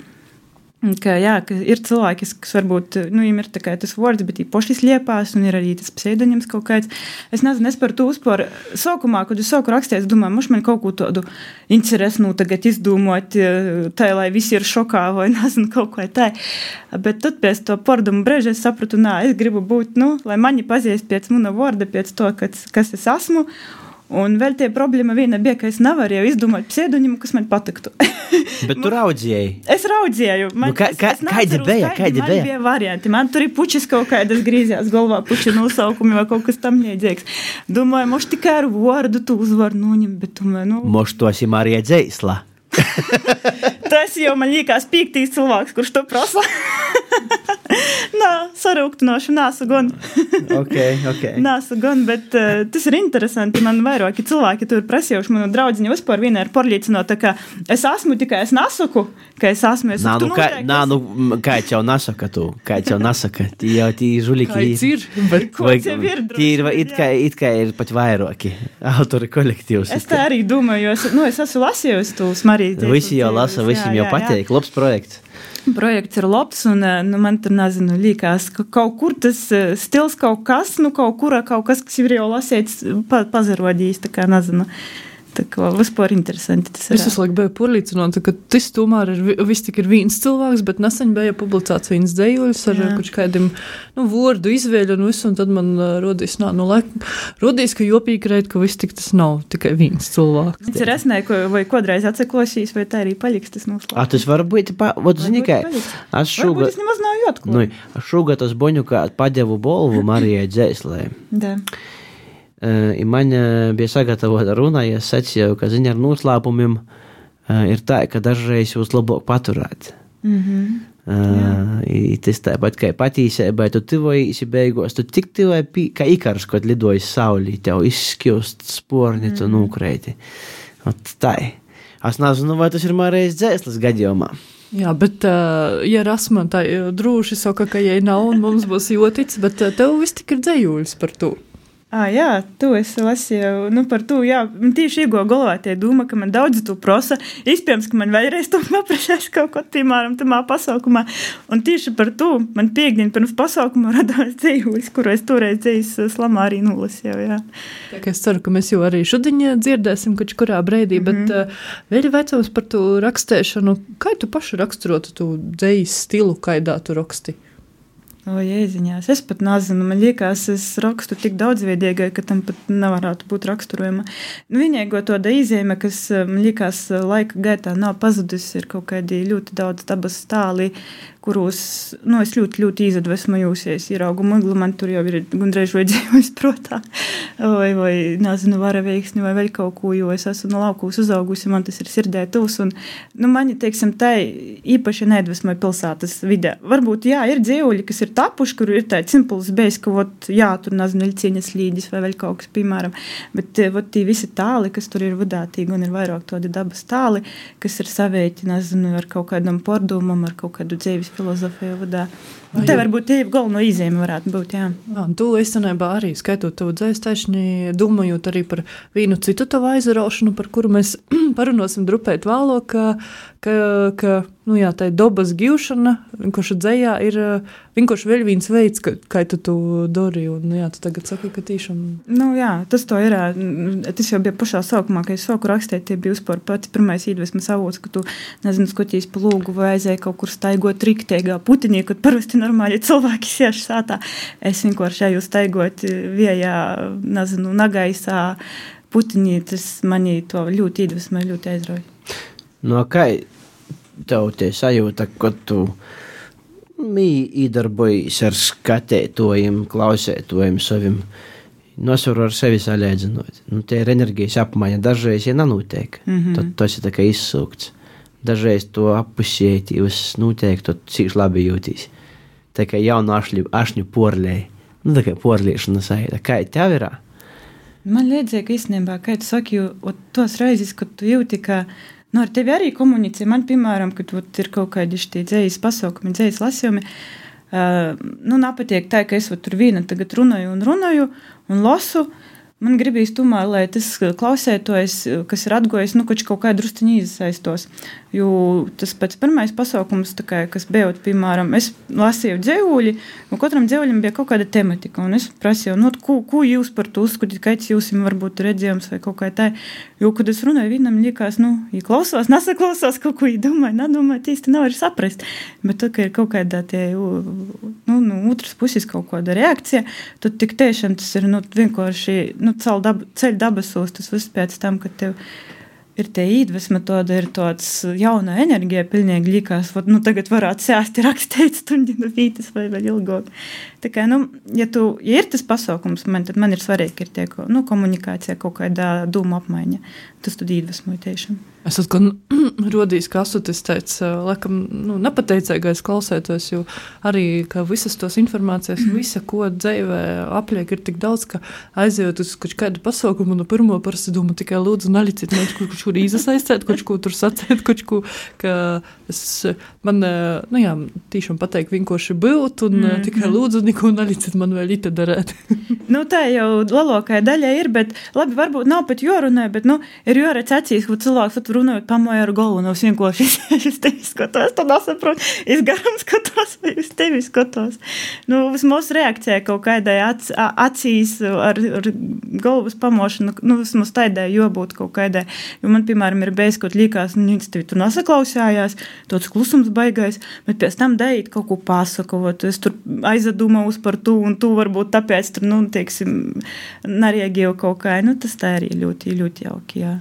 ka, jā, ka ir cilvēki, kas varbūt, nu, viņiem ir tā kā tas vārds, bet viņi poši sliepās, un ir arī tas pseidonims kaut kāds. Es nezinu, es par to uzpār sākumā, kad es sāku rakstīt, es domāju, moš man kaut ko tādu interesi, nu, tagad izdomot, tā, lai visi ir šokā, vai nezinu, kaut ko tā. Bet tad pēc to pordumu breža es sapratu, nā, es gribu būt, nu, lai mani pazīst pēc muna vārda, pēc to, kas, kas es esmu. Un vēl tie problēma viena bija, ka es nevarēju izdomāt pseidonimu, kas man patiktu. Bet tu raudzēji? Es raudzēju. Man, nu, kā, kā, es, es kādi bija? Kādi man bija? bija varianti. Man tur ir pučis kaut kādas grīzjās galvā, puči nosaukumi vai kaut kas tam liedzīgs. Domāju, moš tikai ar vārdu tu uzvaru noņem, bet tomēr, nu... Moš to esi Marija Dzēsla. Tas jau man liekas piektīs cilvēks, kurš to prasa. Nā, sarūktinoši nāsu gan. ok, ok. Nāsu gan, bet uh, tas ir interesanti. Man vairāki cilvēki tur prasījuši manu draudziņu vispār vienā ir pārliecinot, ka es esmu tikai es nesaku, ka es esmu. Es nā, nu, kā, noteikti, nā, nu, kā jau nesaka tu, kā jau nesaka, tī jau tī žuliki. Kāds ir? Bet ko jau ir tī ir, it kā, it kā ir pat vairāki autori kolektīvs. Es tā arī domāju, jo es, nu, es esmu lasījusi tūs Marijas. Visi jau lasa, visiem jau pateik, labs projekts. Projekts ir labs, un nu, man tur, nezinu, līkās, ka kaut kur tas stils kaut kas, nu, kaut kurā kaut kas, kas ir jau lasīts, pa, pazarodījis, tā kā, nezinu. Tā kā vispār interesanti tas ir. Es visu laiku biju pārliecināta, ka tas tomēr ir viss tik ir viens cilvēks, bet nesen bija publicēts viens dejuļs ar kaut kādiem, nu, vārdu izvēļu un visu, un tad man rodīs, nā, nu, laik, rodīs, ka jopīgi reit, ka viss tik tas nav tikai viens cilvēks. Tas ir esnē, vai kodreiz atsaklosīs, vai tā arī paliks tas noslēgums. A, tas var būt, pa, vot, zini, kā, es šūga... Varbūt es nemaz nav jotku. Nu, es šūga tos boņu, kā padevu bolvu Marijai Dzēslē. Da. Uh, man uh, bija sagatavota runa, ja es sacīju, ka ziņa ar noslēpumiem uh, ir tā, ka dažreiz jūs labāk paturēt. Mm-hmm. Uh, tas tāpat kā patīsēbai, tu tivojīsi beigos, tu tik tivai kā ikars, kad lidojas saulī, tev izskjūst sporni, tu mm. nūkreiti. Ot tā. Es nezinu, vai tas ir Marijas Dzēsles gadījumā. Jā, bet, uh, ja Rasman tā drūši saka, ka jai nav un mums būs jotic, bet uh, tev viss tik ir dzējuļs par to. Ah, jā, tu esi lasīju, nu par to, jā, man tieši iego galvā tie doma, ka man daudzi tu prosa, izpējams, ka man vēlreiz to paprašās kaut ko, piemēram, tamā pasaukumā, un tieši par to man piekdien pirms pasaukuma radās dzējulis, kuru es toreiz dzējis slamā arī nulasīju, jā. Tā kā es ceru, ka mēs jau arī šodien dzirdēsim kaut kurā breidī, mm-hmm. bet uh, vēl ir vecums par to rakstēšanu, kā tu paši raksturotu tu dzējas stilu, kaidā tu raksti? O, jēziņās, es pat nezinu, man liekas, es rakstu tik daudzveidīgai, ka tam pat nevarētu būt raksturojama. Nu, vienīgo to da izēme, kas, man liekas, laika gaitā nav pazudusi, ir kaut kādi ļoti daudz dabas stāli, kuros, nu, es ļoti, ļoti izadvesmojūsies, ieraugu miglu, man tur jau ir gandrīz vai dzīvojis protā, vai, vai, nezinu, varaveiksni, vai vēl kaut ko, jo es esmu no laukūs uzaugusi, man tas ir sirdē tūs, un, nu, mani, teiksim, tai īpaši neadvesmoja pilsētas vidē. Varbūt, jā, ir dzīvuļi, kas ir tapuši, kur ir tāds impulss bijis, ka, vot, jā, tur, nezinu, Ļcieņas līdis vai vēl kaut kas, piemēram, bet, vot, tī visi tāli, kas tur ir vadātīgi, un ir vairāk tādi dabas tāli, kas ir saveiti, nezinu, ar kaut kādam pordomam, ar kaut kādu dzīves filozofiju vadā. Un te varbūt tie galveno izēme varētu būt, jā. Jā, tu īstenībā arī skaitot tavu dzēstaišņi, domājot arī par vienu citu tavu aizaraušanu, par kuru mēs parunosim drupēt vēlāk, ka, ka, ka nu jā, tā dobas givšana, vienkārši dzējā ir vienkārši vēl viens veids, ka, kā tu tu dari, un jā, tu tagad saki, ka tīšām... Nu jā, tas to ir, tas jau bija pašā sākumā, ka es sāku rakstēt, tie bija uzpār pats pirmais iedvesmas avots, ka tu, nezinu, skotīs pa lūgu vai aizēja kaut kur staigot rikteigā putinī, kad parasti normāli cilvēki sieši sātā. Es vienkārši ejau staigot viejā, nezinu, nagaisā putinī, tas mani to ļoti iedvesmē, ļoti aizrauja. No kā tev tie sajūta, kad tu mī īdarbojas ar skatētojiem, klausētojiem saviem, nosvaru ar sevi salēdzinot. Nu, tie ir enerģijas apmaiņa, dažreiz, ja nanūtiek, mm-hmm. tad tas ir tā kā izsūkts. Dažreiz to appusiet, jūs nūtiek, tad cīši labi jūtīs. Tā kā jaunu ašļu, ašņu porlēji. Nu, tā kā porliešana saita. Kā tev irā? Man liedzēja, ka īstenībā, kā tu saki, jo tos reizes, kad tu jūti, ka nu, ar tevi arī komunicē. Man, piemēram, kad ot, ir kaut kādi šī dzējas pasaukumi, dzējas lasījumi, uh, nu, napatiek tā, ka es ot, tur viena tagad runāju un runāju un lasu. Man gribīs tomēr, lai tas klausētojs, kas ir atgojis, nu, kaut kā drusciņi izasaistos. Jo tas pēc pirmais pasaukums, tā kā, kas bijot, piemēram, es lasīju dzēvuļi, un katram dzēvuļam bija kaut kāda tematika, un es prasīju, nu, ko, ko jūs par to uzskatīt, kāds jūsim varbūt redzējums vai kaut kā tā. Jo, kad es runāju, vienam liekas, nu, ja klausās, nesaklausās, kaut ko domāju, nedomāju, īsti nav arī saprast. Bet tad, ka ir kaut kādā tie, nu, nu, otras puses kaut kāda reakcija, tad tik tiešām tas ir, nu, vienkārši, nu, ceļ dab, dabasos, tas viss pēc tam, kad tev ir tie iedvesma, tāda ir tāds jauna enerģija, pilnīgi likās, vat, nu, tagad varētu sēst rakstīt stundinu vītas vai vēl ilgāk. Tā kā, nu, ja tu, ja ir tas pasaukums, man, tad man ir svarīgi, ir tie, nu, komunikācija, kaut kādā dūma apmaiņa. Tas tad iedvesmoja tiešām. Es atkal rodījis, ka esmu tas tāds, laikam, nu, nepateicīgais klausētājs, jo arī, ka visas tos informācijas, visa, ko dzīvē apliek, ir tik daudz, ka aizejot uz kaut kādu pasaukumu, no pirmo parasti domā tikai lūdzu nalicīt, man kaut kur īzasaistēt, kaut ko tur sacēt, kaut ko, ka es, man, nu jā, tīšām pateikt vienkārši būt, un mm, tikai lūdzu, neko nalicīt, man vēl ita darēt. Nu, tā jau lielākai daļai ir, bet labi, varbūt nav pat jorunē, bet, nu, ir joredz acīs, ka cilvēks runājot pamoja ar galvu, no vienkārši es, es tevi skatos, tad nesaprotu, es garam skatos, vai es tevi skatos. Nu, vismaz reakcija kaut kādai ac, acīs ar, ar galvas pamošanu, nu, vismaz taidai jābūt kaut kādai, jo man, piemēram, ir bijis, kaut līkās, nu, viņš tevi tur nesaklausājās, tāds klusums baigais, bet pēc tam darīt kaut ko pasakot, es tur aizadūmaus par tu, un tu varbūt tāpēc tur, nu, teiksim, nereaģēju kaut kā, nu, tas tā arī ļoti, ļoti jauki, jā.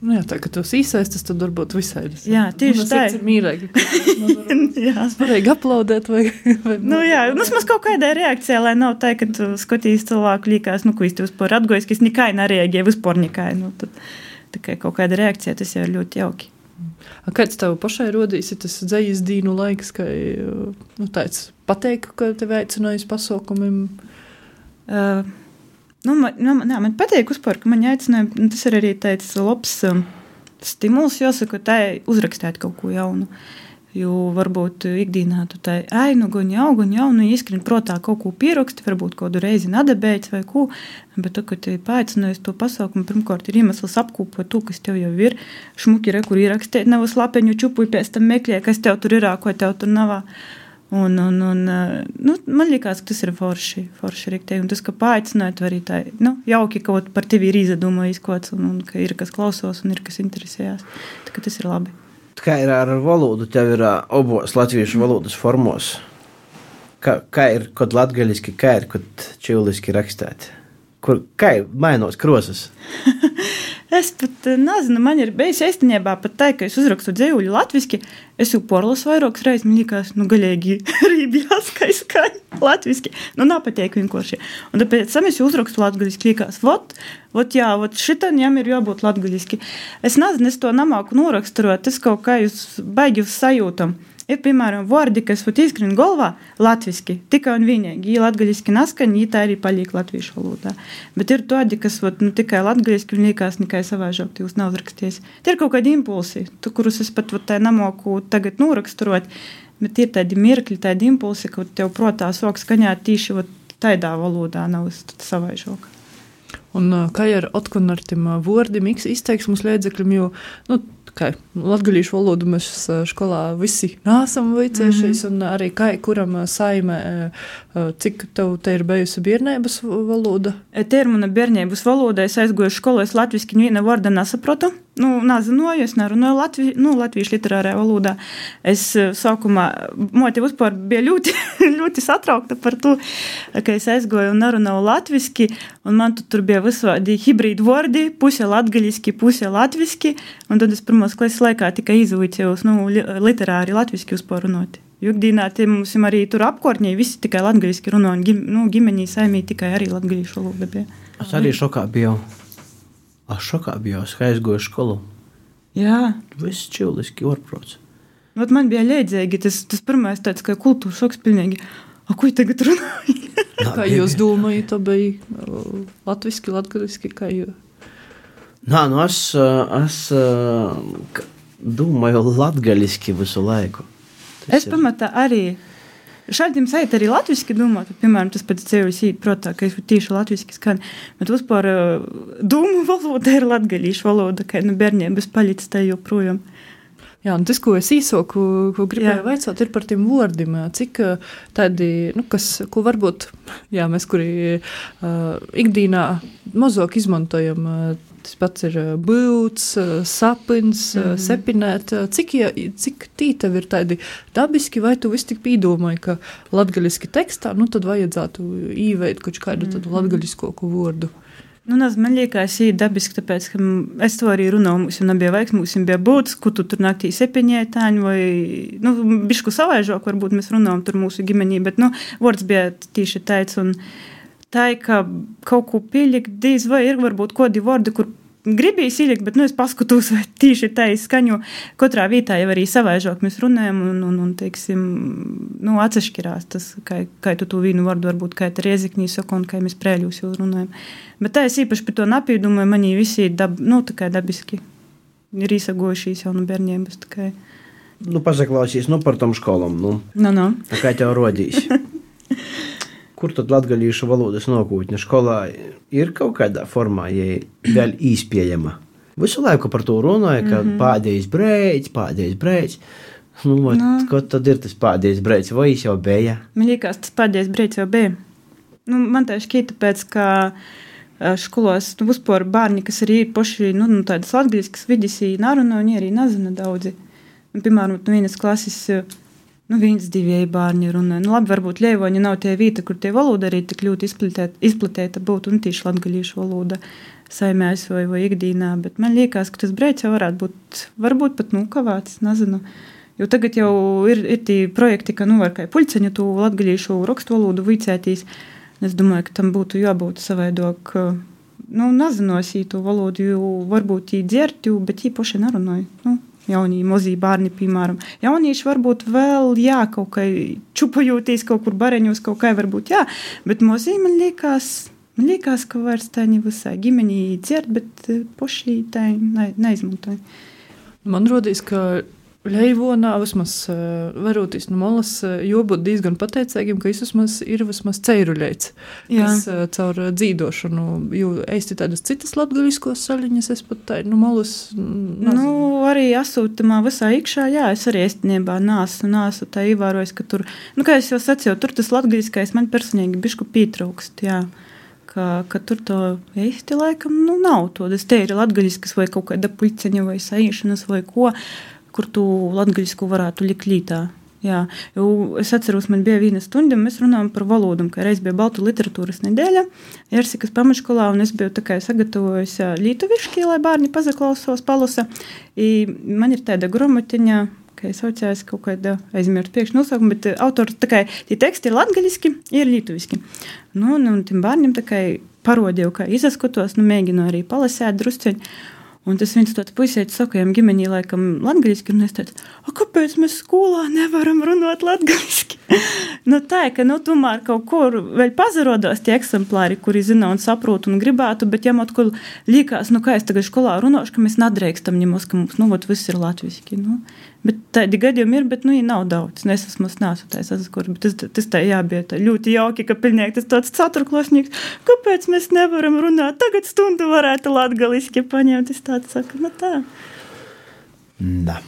Nu jā, tā, ka tos īsaistas, tad varbūt visaidas. Jā, tieši tā. Ir mīrēgi, ka varēja aplaudēt vai... vai nu jā, nu mums kaut kādā reakcijā, lai nav tā, ka tu skatīs cilvēku līkās, nu, ko es tev vispār atgojas, ka es nekai nereaģēju, vispār nekai, nu, tad tikai kaut kāda reakcija, tas jau ir ļoti jauki. A kāds tev pašai rodīs, ir tas dzejas dīnu laiks, ka, nu, tāds pateik, ka tev aicinājis pasaukumiem? Uh, Nu, man, nu, nā, man patīk uzpār, ka man aicināja, tas ir arī tāds labs um, stimuls, jāsaka, tā uzrakstēt kaut ko jaunu. Jo varbūt ikdienā tu tā, ai, nu, gan jau, gan jau, nu, ieskrien protā kaut ko pieraksti, varbūt kādu reizi nadabēts vai ko, bet tu, kad te paaicinājies to pasaukumu, pirmkārt ir iemesls apkūpot to, kas tev jau ir, šmuki re, kur ierakstēt, nav slapeņu čupuļ, pēc tam meklē, kas tev tur ir, ko tev tur nav. Un, un, un nu, man liekas, ka tas ir forši, forši riktēji, un tas, ka paaicināt arī tā, nu, jauki kaut par tevi ir izdomājis kods, un, un ka ir kas klausos, un ir kas interesējās, tā ka tas ir labi. Kā ir ar valodu? Tev ir obos latviešu valodas formos. Kā, kā ir kod latgaliski, kā ir kod čivliski rakstēt? Kur, kā ir mainos krosas? Es pat nezinu, man ir bijis īstenībā pat tā, ka es uzrakstu dzējuļu latviski, es jau porlasu vairākas reizes, man liekas, nu, gaļīgi rībjās, ka es skaņu latviski, nu, napateik vienkārši. Un tāpēc sam es jau uzrakstu latgaliski, liekas, vot, vot jā, vot šitan jām ir jābūt latgaliski. Es nezinu, es to namāku noraksturot, es kaut kā jūs baigi uz sajūtam. Ir, piemēram, vārdi, kas vat izkrien galvā latviski, tikai un vienīgi, ja latgaļiski naskaņ, ja tā arī paliek latviešu valodā. Bet ir tādi, kas vat, nu, tikai latgaļiski un liekas nekai savāžāk, jūs nav uzraksties. Tie ir kaut kādi impulsi, tu, kurus es pat vat, tā namoku tagad noraksturot, bet ir tādi mirkļi, tādi impulsi, ka tev protā sok skaņāt tīši vat, tādā valodā nav savāžāk. Un kā ir otkon ar tiem vārdiem, izteiksmus līdzekļiem, jo, nu, kā latgalīšu valodu mēs skolā visi nāsam vicējušies, mm-hmm. un arī kā, kuram saimē, cik tev te ir bijusi bērnības valoda? Te ir mana bērnības valoda, es aizgoju skolā, es latviski neviena vārda nesaprotu. Nu, nezināju, es nerunāju latvi, nu, latviešu literārajā valodā. Es sākumā, moti vispār bija ļoti, ļoti satraukta par to, ka es aizgoju un nerunāju latviski, un man tur bija visādi hibrīdu vārdi, puse latgaļiski, puse latviski, un tad es pirmos klases laikā tikai izvīcējos, nu, literāri latviski vispār runāt. Jukdīnā tie mums arī tur apkārtņi, visi tikai latgaļiski runā, un gim, nu, gimenī saimī tikai arī latgaļīšu valoda bija. Es arī šokā biju. Es šokā biju, es aizgoju skolu. Jā. Viss čivliski orprots. Vat man bija leidzīgi, tas, tas pirmais tāds, kā kultūra šoks pilnīgi. A, ko tagad runāju? Kā jūs domājat, to bija latviski, latgaliski, kā jūs? Nā, nu es, es domāju latgaliski visu laiku. Tas es pamatā arī... Šādiem sajūt arī latviski domāt, piemēram, tas pēc ceļus īt, protā, ka es tīši latviski skan, bet vispār dūmu valoda ir latgaļīšu valoda, ka nu bērņiem bez paļītas tā joprojām. Jā, un tas, ko es īsoku, ko gribēju vaicāt, ir par tiem vārdiem, cik tādi, nu, kas, ko varbūt, jā, mēs, kuri uh, ikdīnā mazāk izmantojam, uh, tas pats ir būts, sapins, mm-hmm. sepinēt. Cik, cik tī tev ir tādi dabiski, vai tu viss tik pīdomāji, ka latgaliski tekstā, nu tad vajadzētu īveikt kaut kādu mm-hmm. tādu latgaliskoku vārdu? Nu, naz, man liekas, ir dabiski, tāpēc, ka es to arī runāju, mums jau nebija vajag, mums jau bija būts, ko tu tur naktī sepiņētāņi, vai, nu, bišku savaižāk, varbūt mēs runājam tur mūsu gimenī, bet, nu, vārds bija tīši tāds, un tā, ka kaut ko pielikt, dīz vai ir varbūt kodi vārdi, kur gribīs ielikt, bet, nu, es paskatos, vai tīši tā izskaņu. Katrā vietā jau arī savaižāk mēs runājam un, un, un teiksim, nu, atsašķirās tas, kā, kā tu to vīnu vardu varbūt, kā tā Rieziknī saka un kā mēs Prēļūs jau runājam. Bet tā es īpaši par to napīdumu, manī visi dab, nu, tā kā dabiski ir īsagojušies jau no bērniem, tā kā. Nu, pasaklausīs, nu, par tom školom, nu. No, no. Kā tev rodīs? Kur tad latgalīšu valodas nokūtņa skolā ir kaut kādā formā, ja vēl īspējama? Visu laiku par to runāja, ka mm-hmm. pādējais brēc, pādējais brēc. Nu, vai, no. Ko tad ir tas pādējais brēc? Vai viņš jau bija? Man liekas, tas pādējais brēc jau bija. Nu, man tā šķīta pēc, ka školos, nu, vispār bērni, kas arī ir poši, nu, nu tādas latgaļiskas vidis, narunā, viņi arī nezina daudzi. Nu, piemēram, no vienas klases, nu, viens divi bērni runāja. Nu, labi, varbūt Ļeivoņa nav tie vīta, kur tie valoda arī tik ļoti izplatēta būtu un tīši latgaļīšu valoda saimēs vai, vai ikdīnā, bet man liekas, ka tas brēc jau varētu būt, varbūt pat nokavāts, nezinu. Jo tagad jau ir, ir tī projekti, ka, nu, var kā puļceņu tu latgaļīšu rakstu valodu vicētīs. Es domāju, ka tam būtu jābūt savaidok, nu, nezinosī to valodu, jo varbūt jī dzert, bet jī poši nerunāja, nu. Jaunie, mozī bērni, piemēram. Jaunieši varbūt vēl, jā, kaut kā čupajūtīs kaut kur bareņos, kaut kā varbūt, jā, bet mozī man liekas, man liekas, ka vairs tā ne visai ģimenī dzert, bet poši tā ne, neizmantoja. Man rodīs, ka Ļeivonā vismaz varotīs no malas jābūt diezgan pateicīgiem, ka vismaz ir vismaz ceiruļēts, kas caur dzīdošanu, jo eisti tādas citas latgaļiskos saļiņas, es pat tā, no malas nezinu. Nu, arī asūtamā visā ikšā, jā, es arī eistiņībā nāsu, nāsu tā ievārojis, ka tur, nu, kā es jau sacīju, tur tas latgaļiskais man personīgi bišku pītraukst, jā. Ka, ka tur to eisti laikam, nu, nav to, tas te ir latgaļiskas vai kaut kāda puļceņa vai saīšanas vai ko, kur tu latgaļisku varētu likt lītā. Jā, jo es atceros, man bija viena stunda, un mēs runājam par valodam, ka reiz bija Baltu literatūras nedēļa Jersikas pamatškolā, un es biju tā kā sagatavojusi lītuviški, lai bērni pazaklausos, palasa. I man ir tāda gromatiņa, ka es saucējos kaut kāda aizmirst priekš nosaukumu, bet autors tā kā, tie teksti ir latgaļiski, ir lītuviski. Nu, un, un tiem bērniem tā kā parodīju, kā izaskotos, nu, mēģinu arī palasēt drusceņi. Un tas viens tāds puisēķis saka, jām ģimenī laikam latgaļiski, un es teicu, a, kāpēc mēs skolā nevaram runāt latgaļiski? Nu tā, ka, nu, tomēr kaut kur vēl pazarodās tie eksemplāri, kuri zina un saprot un gribētu, bet jām atkal līkās, nu, kā es tagad skolā runāšu, ka mēs nadrekstam ņemos, ka mums, nu, vot viss ir latviski, nu. Bet tādi gadījumi ir, bet, nu, ja nav daudz. Es esmu nesu tā, es asaskuru, bet tas, tas tā jābija tā ļoti jauki, ka pilnīgi tas tāds ceturklosnīgs, kāpēc mēs nevaram runāt, tagad stundu varētu latgaliski paņemt, es tāds saku, nu tā. Da.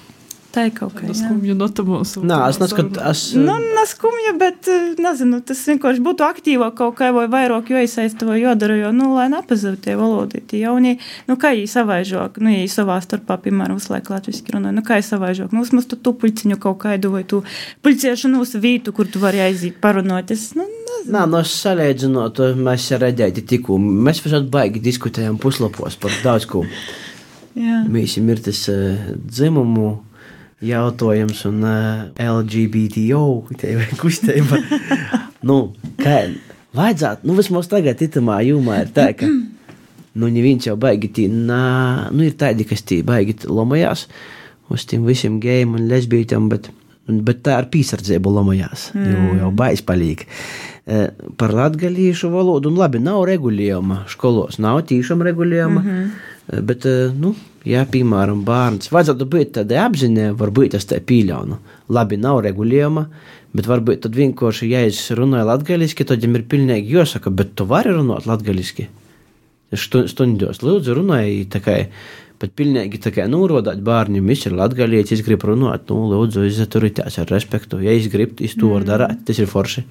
Tā ir kaut kā, jā. Skumju notamos. Nā, es neskat, es... Nu, neskumju, bet, nezinu, tas vienkārši būtu aktīvāk kaut kā vai vairāk joisaista vai jodara, jo, nu, lai nepazav tie valodi, tie jaunie, nu, kā jī savaižāk, nu, ja jī savā starpā, piemēram, vislaik latviski runāja, nu, kā jī savaižāk, nu, vismaz tu tu puļciņu kaut kaidu vai tu puļciešanos vītu, kur tu vari aiziet parunāt, es, nu, nezinu. Nā, no salēdzinot, mēs redzēti tikko, mēs visādi baigi diskutējam puslapos par daudz ko. Jā. Mēs ir tas uh, dzimumu jautājums un uh, L G B T O kustība. Nu, kā vajadzētu, nu vismaz tagad itamā jūmā ir tā, ka nu neviens jau baigi tī, nā, nu ir tādi, kas tī baigi lomajās uz tiem visiem gejiem un lesbītiem, bet, bet tā ar pīsardzību lomajās, mm. jo jau bais palīk. Uh, par latgalīšu valodu, un labi, nav regulējuma školos, nav tīšām regulējuma, mm-hmm. Bet, nu, jā, piemēram, bērns, vajadzētu būt tādai apziņai, varbūt es tā pīļaunu. Labi, nav regulējuma, bet varbūt tad vienkārši, ja es runāju latgaliski, tad jums ir pilnīgi jāsaka, bet tu vari runāt latgaliski. Stundos, lūdzu, runāju tā kā, bet pilnīgi tā kā norodāt bērniem, viņš ir latgalietis, es gribu runāt, nu, lūdzu, izturīties ar respektu, ja es gribu, es to varu darāt, tas ir forši.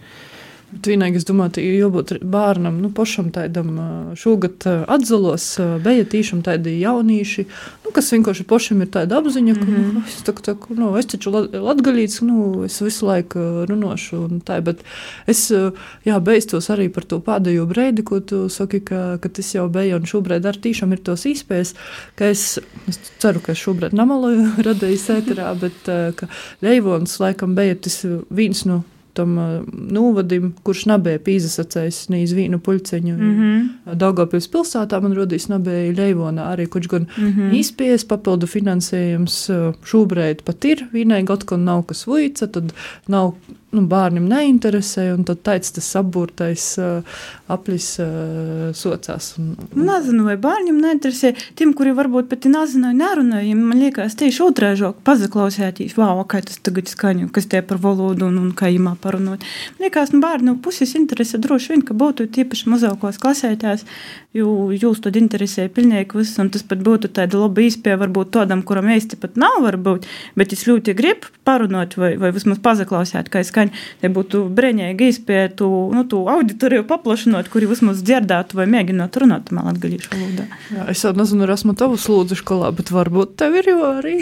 Bet vienīgi, es domāju, ir jābūt bērnam, nu, pašam tādam šogad atzalos, bija tīšām tādi jaunīši, nu, kas vienkārši pašam ir tāda apziņa, ka, mm-hmm. nu, es, tā, tā, nu, es taču latgalīts, nu, es visu laiku runāšu un tā, bet es, jā, beistos arī par to pēdējo breidi, ko tu saki, ka, ka tas jau bija, un šobrīd ar tīšām ir tos īspējas, ka es, es ceru, ka es šobrīd namaloju radījis ēterā, bet, ka Ļeivons laikam bija tas viens no tam nūvadim, kurš nabēja pīzasacējis ne iz vīnu puļceņu. Mm-hmm. Daugavpils pilsētā man rodīs nabēja Leivonā arī, kurš gan mm-hmm. īspies papildu finansējums šūbreit pat ir, vīnai gotkon nav kas vuica, tad nav, nu, bārnim neinteresē, un tad taic tas apburtais uh, aplis uh, socās. Un, un... Nezinu, vai bārņiem neinteresē, tiem, kuri varbūt pat nezināja, nerunāja, man liekas, tieši otrēžok pazaklausētīs, vau, kā tas tagad skaņu, kas tie par valodu un, un kā imā parunot. Man liekas, nu, bārņu puses interese droši vien, ka būtu tiepaši mazākos klasētās, jo jūs tad interesē pilnīgi viss, un tas pat būtu tāda laba īspēja varbūt tādam, kuram īsti pat nav varbūt, bet es ļoti gribu parunot vai, vai vismaz pazaklausēt, kā skaņu. Te būtu breņēgi īspēja tu, nu, tu auditoriju paplašinot, kuri vismaz dzirdētu vai mēģinot runāt man latgalīšu valodā. Jā, es jau nezinu, esmu tavu slūdzu skolā, bet varbūt tev ir jau arī.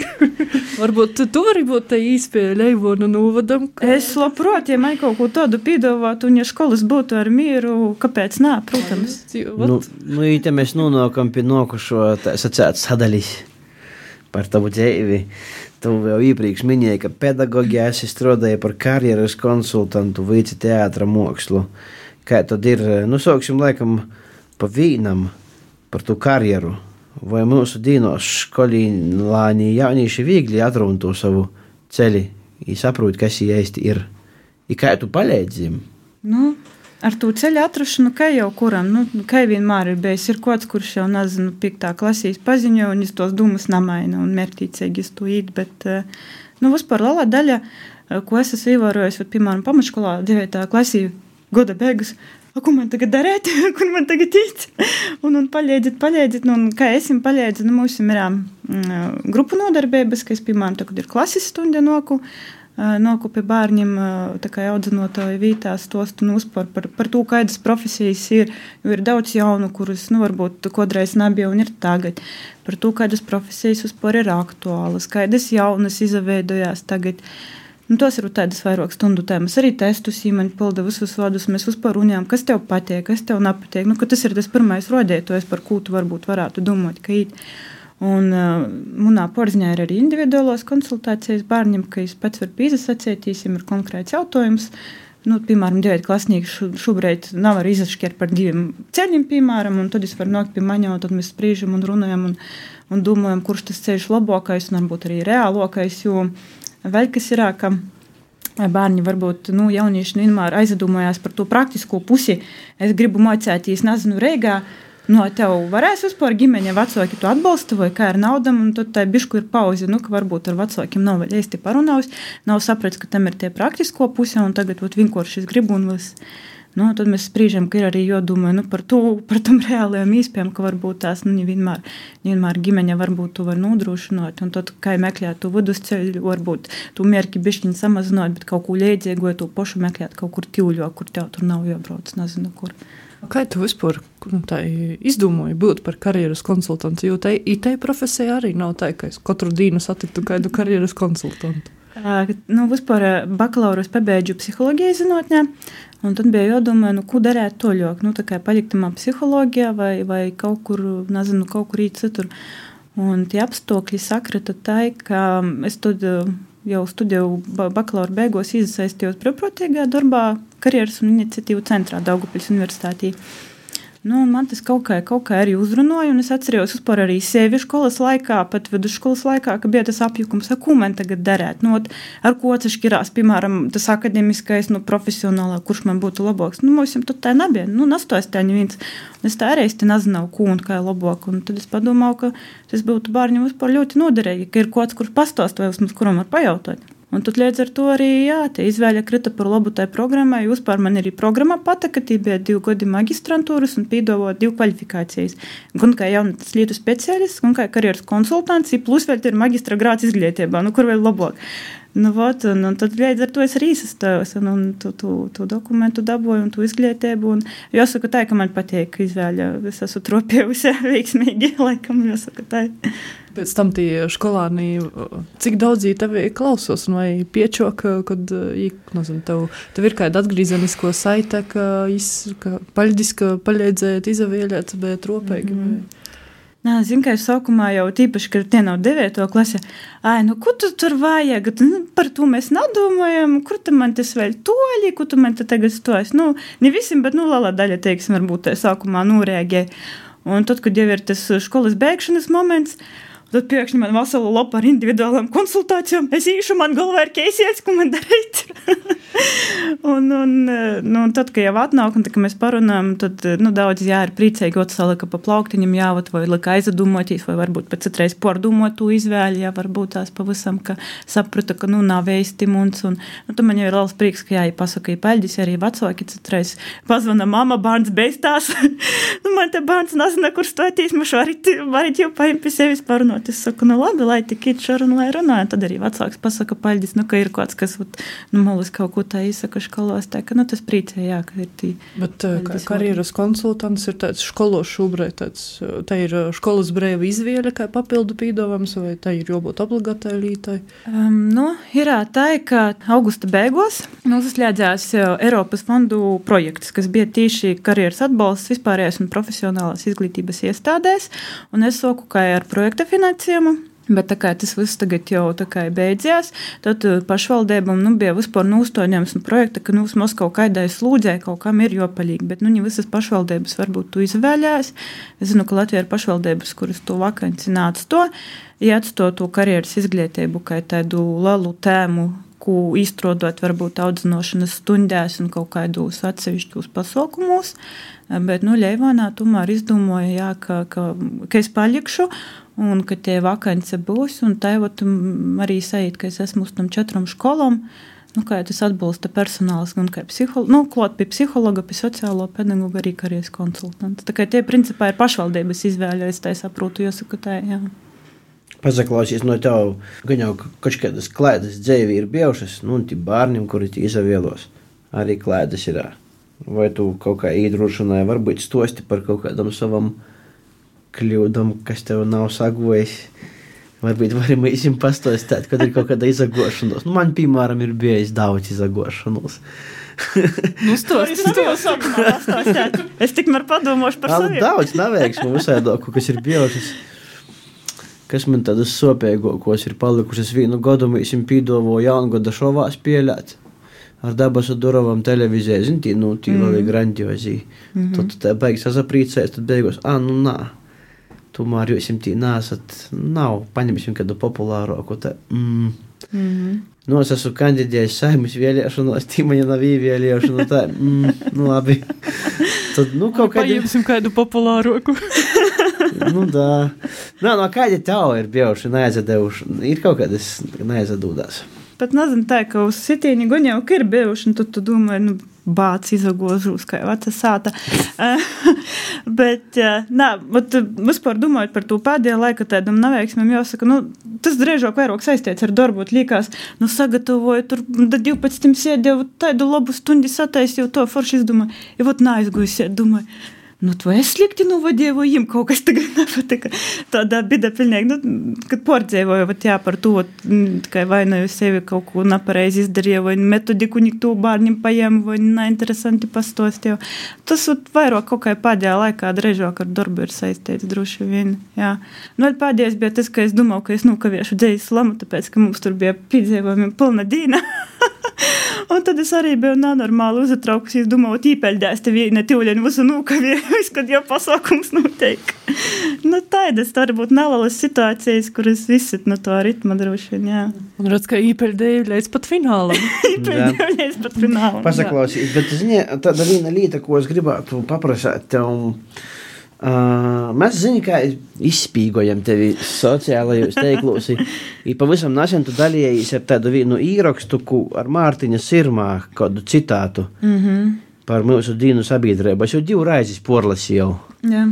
Varbūt tu vari būt te īspēja Leivonu nūvadam. Ka... Es labprāt, ja man kaut ko tādu pīdovātu un ja školas būtu ar mieru, kāpēc nā, protams. Nu, nu īte mēs nonākam pie nokušo, tā sacēt, sadaļis par tavu dzēvi. Tu jau iepriekš minēji, ka pedagogijā esi strādāja par karjeras konsultantu vici teātra mākslu. Kā tad ir, nu sauksim laikam pa vīnam par tu karjeru. Vai mūsu dīnos skolīnlāni jaunīši viegli atruntu savu ceļi i saprūt, kas īsti ir. I kā tu palīdzim? Nu, ar to ceļu atrašanu, kā jau kuram, nu, kā vienmēr ir bijis, ir kods, kurš jau, nezinu, piektā klasīs paziņo, un es tos dūmus namaina un mērķīcīgi es to īt, bet, nu, vispār lielā daļa, ko es esmu ievērojis, piemēram, pamatškolā, devītā klasī, goda beigas, a, ko man tagad darēt, kur man tagad īt, un, un paļēdzit, paļēdzit, nu, un kā esim paļēdzit, nu, mums ir mm, grupu nodarbības, ka es, piemēram, tagad ir klases stundi noku, noku pie bārņiem, tā kā audzinotāju vītās tostu un uzpar par, par to, kādas profesijas ir, jo ir daudz jaunu, kuras, nu, varbūt kodreiz nebija un ir tagad, par to, kādas profesijas uzpar ir aktuālas, kādas jaunas izaveidojās tagad. Nu, tos ir tādas vairāk stundu tēmas, arī testus īmaņi pilda visus vārdus, mēs uzpar runājam, kas tev patiek, kas tev nepatiek, nu, ka tas ir tas pirmais rodētojs, par ko tu varbūt varētu domāt, ka īt. Un uh, munā porziņā ir arī individuālās konsultācijas bārņiem, ka es pats varu pīzasacētīs, ja ir konkrēts jautājums. Nu, piemēram, devēt klasnieki šu, šobrīd nav arī izašķiet par diviem ceļiem, piemēram, un tad es varu nākt pie maņā, un tad mēs sprīžam un runājam un, un domājam, kurš tas ceļš labākais un varbūt arī reālākais, jo vēl kas ir, ka bērni varbūt, nu, jaunieši vienmēr aizdomājās par to praktisko pusi. Es gribu mācēties, nezinu, Reigā, no tev varēs vispār ģimeņa vecāki tu atbalsta vai kā ar naudam, un tad tā bišku ir pauze, nu, ka varbūt ar vecākiem nav vēl īsti parunājis, nav saprats, ka tam ir tie praktisko puse, un tagad ot, vienkārši es gribu un viss. Nu, tad mēs sprīžam, ka ir arī jodomāju, nu, par to, par tam reālajām īspējām, ka varbūt tās, nu, vienmēr, vienmēr ģimeņa varbūt tu var nodrošināt, un tad, kā meklēt tu vidusceļu, varbūt tu mērķi bišķiņi samazināt, bet kaut ko liedzīgu, vai tu pošu meklēt kaut kur tīvļo, kur tev tur nav jābrauc, nezinu, kur. Kā tu vispār nu, izdomāji būt par karjeras konsultantu? Jo tai, tai profesija arī nav tā, ka es katru dienu satiktu kādu karjeras konsultantu. Uh, nu, vispār bakalaurus pabeidžu psiholoģijas zinātnē, un tad bija jādomā, nu, ko darēt toļāk. Nu, tā kā palikt tamā psiholoģijā vai, vai kaut kur, nezinu, kaut kur īt citur. Un tie apstākļi sakrita tā, ka es tad jau studēju bakalaura beigās iesaistījos brīvprātīgā darbā karjeras un iniciatīvu centrā Daugavpils universitātī. Nu, man tas kaut kā, kaut kā arī uzrunāja, un es atcerējos vispār arī sevi školas laikā, pat vidusškolas laikā, ka bija tas apjukums, ar ko man tagad darēt. Nu, ar ko atšķirās, piemēram, tas akademiskais, nu, profesionālā, kurš man būtu labāks. Nu, mums jau tad tā nebija. Nu, nastojas tā neviens. Un es tā arī es te nezināju, ko un kā ir labāk. Un tad es padomāju, ka tas būtu bārņiem vispār ļoti noderīgi, ka ir kāds, kurš pastāst vai vismaz, kuram var pajautāt. Un tad līdz ar to arī, jā, te izvēļa krita par labu tai programmai. Vispār man arī programma pataka, tī bija divi gadi magistrantūras un pīdavo divu kvalifikācijas. Gan kā jaunas lietu speciālists, gan kā karjeras konsultants, plus vēl ir magistra grāds izglītībā, nu kur vēl labāk. Nu, vot, un, un tad līdz ar to es arī izsastājos, un, un tu, tu, tu dokumentu dabūju, un tu izglītību, un jāsaka tā, ka man patīk izvēļa, es esmu tropējusi veiksmīgi, laikam, jāsaka tā. Pēc tam tie skolāni, cik daudz jī tevi klausos, un vai piečok, kad, nezinu, tev, tev ir kāda atgrīzenisko saite, ka, iz, ka paļģis, ka paļēdzēt, izavēļēt, bet tropēgi, mm-hmm. vai... Nā, zinu, ka es sākumā jau tīpaši, ka tie nav devieto klase. Ai, nu, ko tu tur vajag? Nu, par to mēs nedomājam. Kur tu man tas vēl toļi? Ko tu man te tagad stojas? Nu, ne visiem, bet, nu, lielā daļa, teiksim, varbūt tā sākumā nūrēgēja. Un tad, kad jau ir tas školas beigšanas moments, tad pēkšņi man vesela lapa ar individuālām konsultācijām. Es īšu, man galvā ir keisies, ko man darīt. un, un, nu, un tad, kad jau atnāk, un tad, kad mēs parunājam, tad, nu, daudz jā, ir priecīgi, ot salika pa plauktiņam jāvat, vai lika aizdomotīs, vai varbūt pēc citreiz pārdomot to izvēli, jā, varbūt tās pavisam, ka saprata, ka, nu, nav veistimuns, un, nu, tad man jau ir liels prieks, ka jā, ja pasaka, ja paļģis, arī vecāki citreiz pazvana mama, bārns beistās. nu, man te bārns nezina, kur stoties, mašu varit, varit jau paim pie sevis parunot. Es saku, nu labi, lai tik ir šarun, lai runāju. Tad arī vecāks pasaka paļģis, nu, ka ir kāds, kas, nu, molis kaut ko tā izsaka školos, tā, ka, nu, tas priecē, jā, ka ir tī. Bet kā karjeras konsultants ir tāds školos šūbrei, tāds, tā ir školas brēva izvēle, kā papildu pīdovams, vai tā ir jābūt obligātai lītai? Um, nu, ir tā, ka augusta beigos noslēdzās Eiropas fondu projekts, kas bija tīši karjeras atbalsts vispārējās un profesionālās izglītības iestādēs, un es soku, kā ar projekta finansējumu. Bet tā kā tas viss tagad jau tā kā beidzās, tad pašvaldībam, nu, bija vispār nūstoņams un projekta, ka, nu, vismaz kaut kādai slūdzē kaut kam ir jopalīgi, bet, nu, ne visas pašvaldības varbūt tu izvēļās. Es zinu, ka Latvija ir pašvaldības, kuras to vakanci nāc to, ja atsto to karjeras izglītību, kā tādu lielu tēmu, ko izstrādāt varbūt audzinošanas stundās un kaut kādos atsevišķos pasaukumos, bet, nu, Ļeivānā tomēr izdomāja, jā, ka, ka, ka es palikšu un ka tie vakance būs, un tā jau arī sajūt, ka es esmu uz tam četram školom, nu, kā tas atbalsta personāls, un kā psihologa, nu, klāt pie psihologa, pie sociālo pedagoga, arī karjeras konsultants. Tā kā tie principā ir pašvaldības izvēļa, es tā saprotu, jāsaka tā, jā. Pasaklausies no tev, gan jau kaut kādas klaidas dzēvi ir bijušas, nu, un tie bārnim, kuri tie izavielos, arī klaidas ir. Vai tu kaut kā īdrošināji, varbūt stosti par kaut kādam savam kļūdam, kas tev nav sagojis. Varbūt varam īsim pastostāt, kad ir kaut kāda izagošanos. Nu, man, piemēram, ir bijis daudz izagošanos. Nu, stosti, stosti. Es tikmēr padomāšu par saviem. Daudz neveiksmu visādoku, kas ir bijušas. Kas man tādas sopēgokos ir palikušas vienu godu, mēs pīdovo jaungoda šovā spēlēt ar dabasu durovam televizijai, zin, tī, nu, tī vēl ir grandiozī. Mm-hmm. Tad tā beigas sazaprīcēs, tad beigos, ā, nu, nā, tomēr jūs tī nāsat, nav, paņemsim kādu populāroku, tā, mm. Mm-hmm. Nu, es esmu kandidējis Saeimas vēlēšanos, tī man nav īvēlēšanu, tā, mm, nu, labi. Tad, nu, kaut kādi... Paņemsim kādu populāroku. Nu, tā. Nā, no kādi tev ir bijuši neaizadējuši? Ir kaut kādas neaizadūdās? Pat nezinu tā, ka uz sitieni gan jau ir bijuši, un tad tu domāji, nu, bāc izagožūs, kā veca sāta. Bet, nā, vat, vispār domājot par to pēdējā laika tādam neveiksmēm, jāsaka, nu, tas drēžāk vairāk saistīts ar darbu, likās, nu, sagatavoju, tur, da divpadsmit sēdēju, tādu labu stundi sataisīju, to forši izdomāju, ja vat neaizgoju sēd, domāju, nu, tu es slikti novadīju, jim kaut kas tagad nepatika. Tādā bida pilnīgi, nu, kad pārdzēvoju, vat jā, par to, tikai vainoju sevi kaut ko nepareizi izdarīju, vai metodiku niktu bārņiem paņēmu, vai neinteresanti pastostīju. Tas vat vairāk kaut kā pēdējā laikā drēžāk ar darbu ir saistīts, droši vien, jā. Nu, vēl pēdējais bija tas, ka es domāju, ka es nokaviešu dzējas slamu, tāpēc, ka mums tur bija piedzīvojumi pilna dīna. Un tad es arī biju nenormāli uzatraukusi, es domāju, tīpeļdēs tev ne tīvļieni visu nūkavies, kad jau pasākums notiek. Nu, tādas varbūt nelalas situācijas, kuras visi no to ritma droši vien, jā. Un redz, ka īpeļdēju līdz pat finālam. Īpeļdēju līdz pat finālam. Pasaklausīt, bet zini, tāda viena lieta, ko es gribētu paprasāt tev. Uh, mēs zinām, kā izspīgojam tevi sociālajos teiklos. I pavisam nesen tu dalījies ar tādu vienu īrakstu ar Mārtiņa Sirmā kādu citātu mm-hmm. par mūsu dīnu sabiedrību. Es jau divu raizes porlasīju. Jā.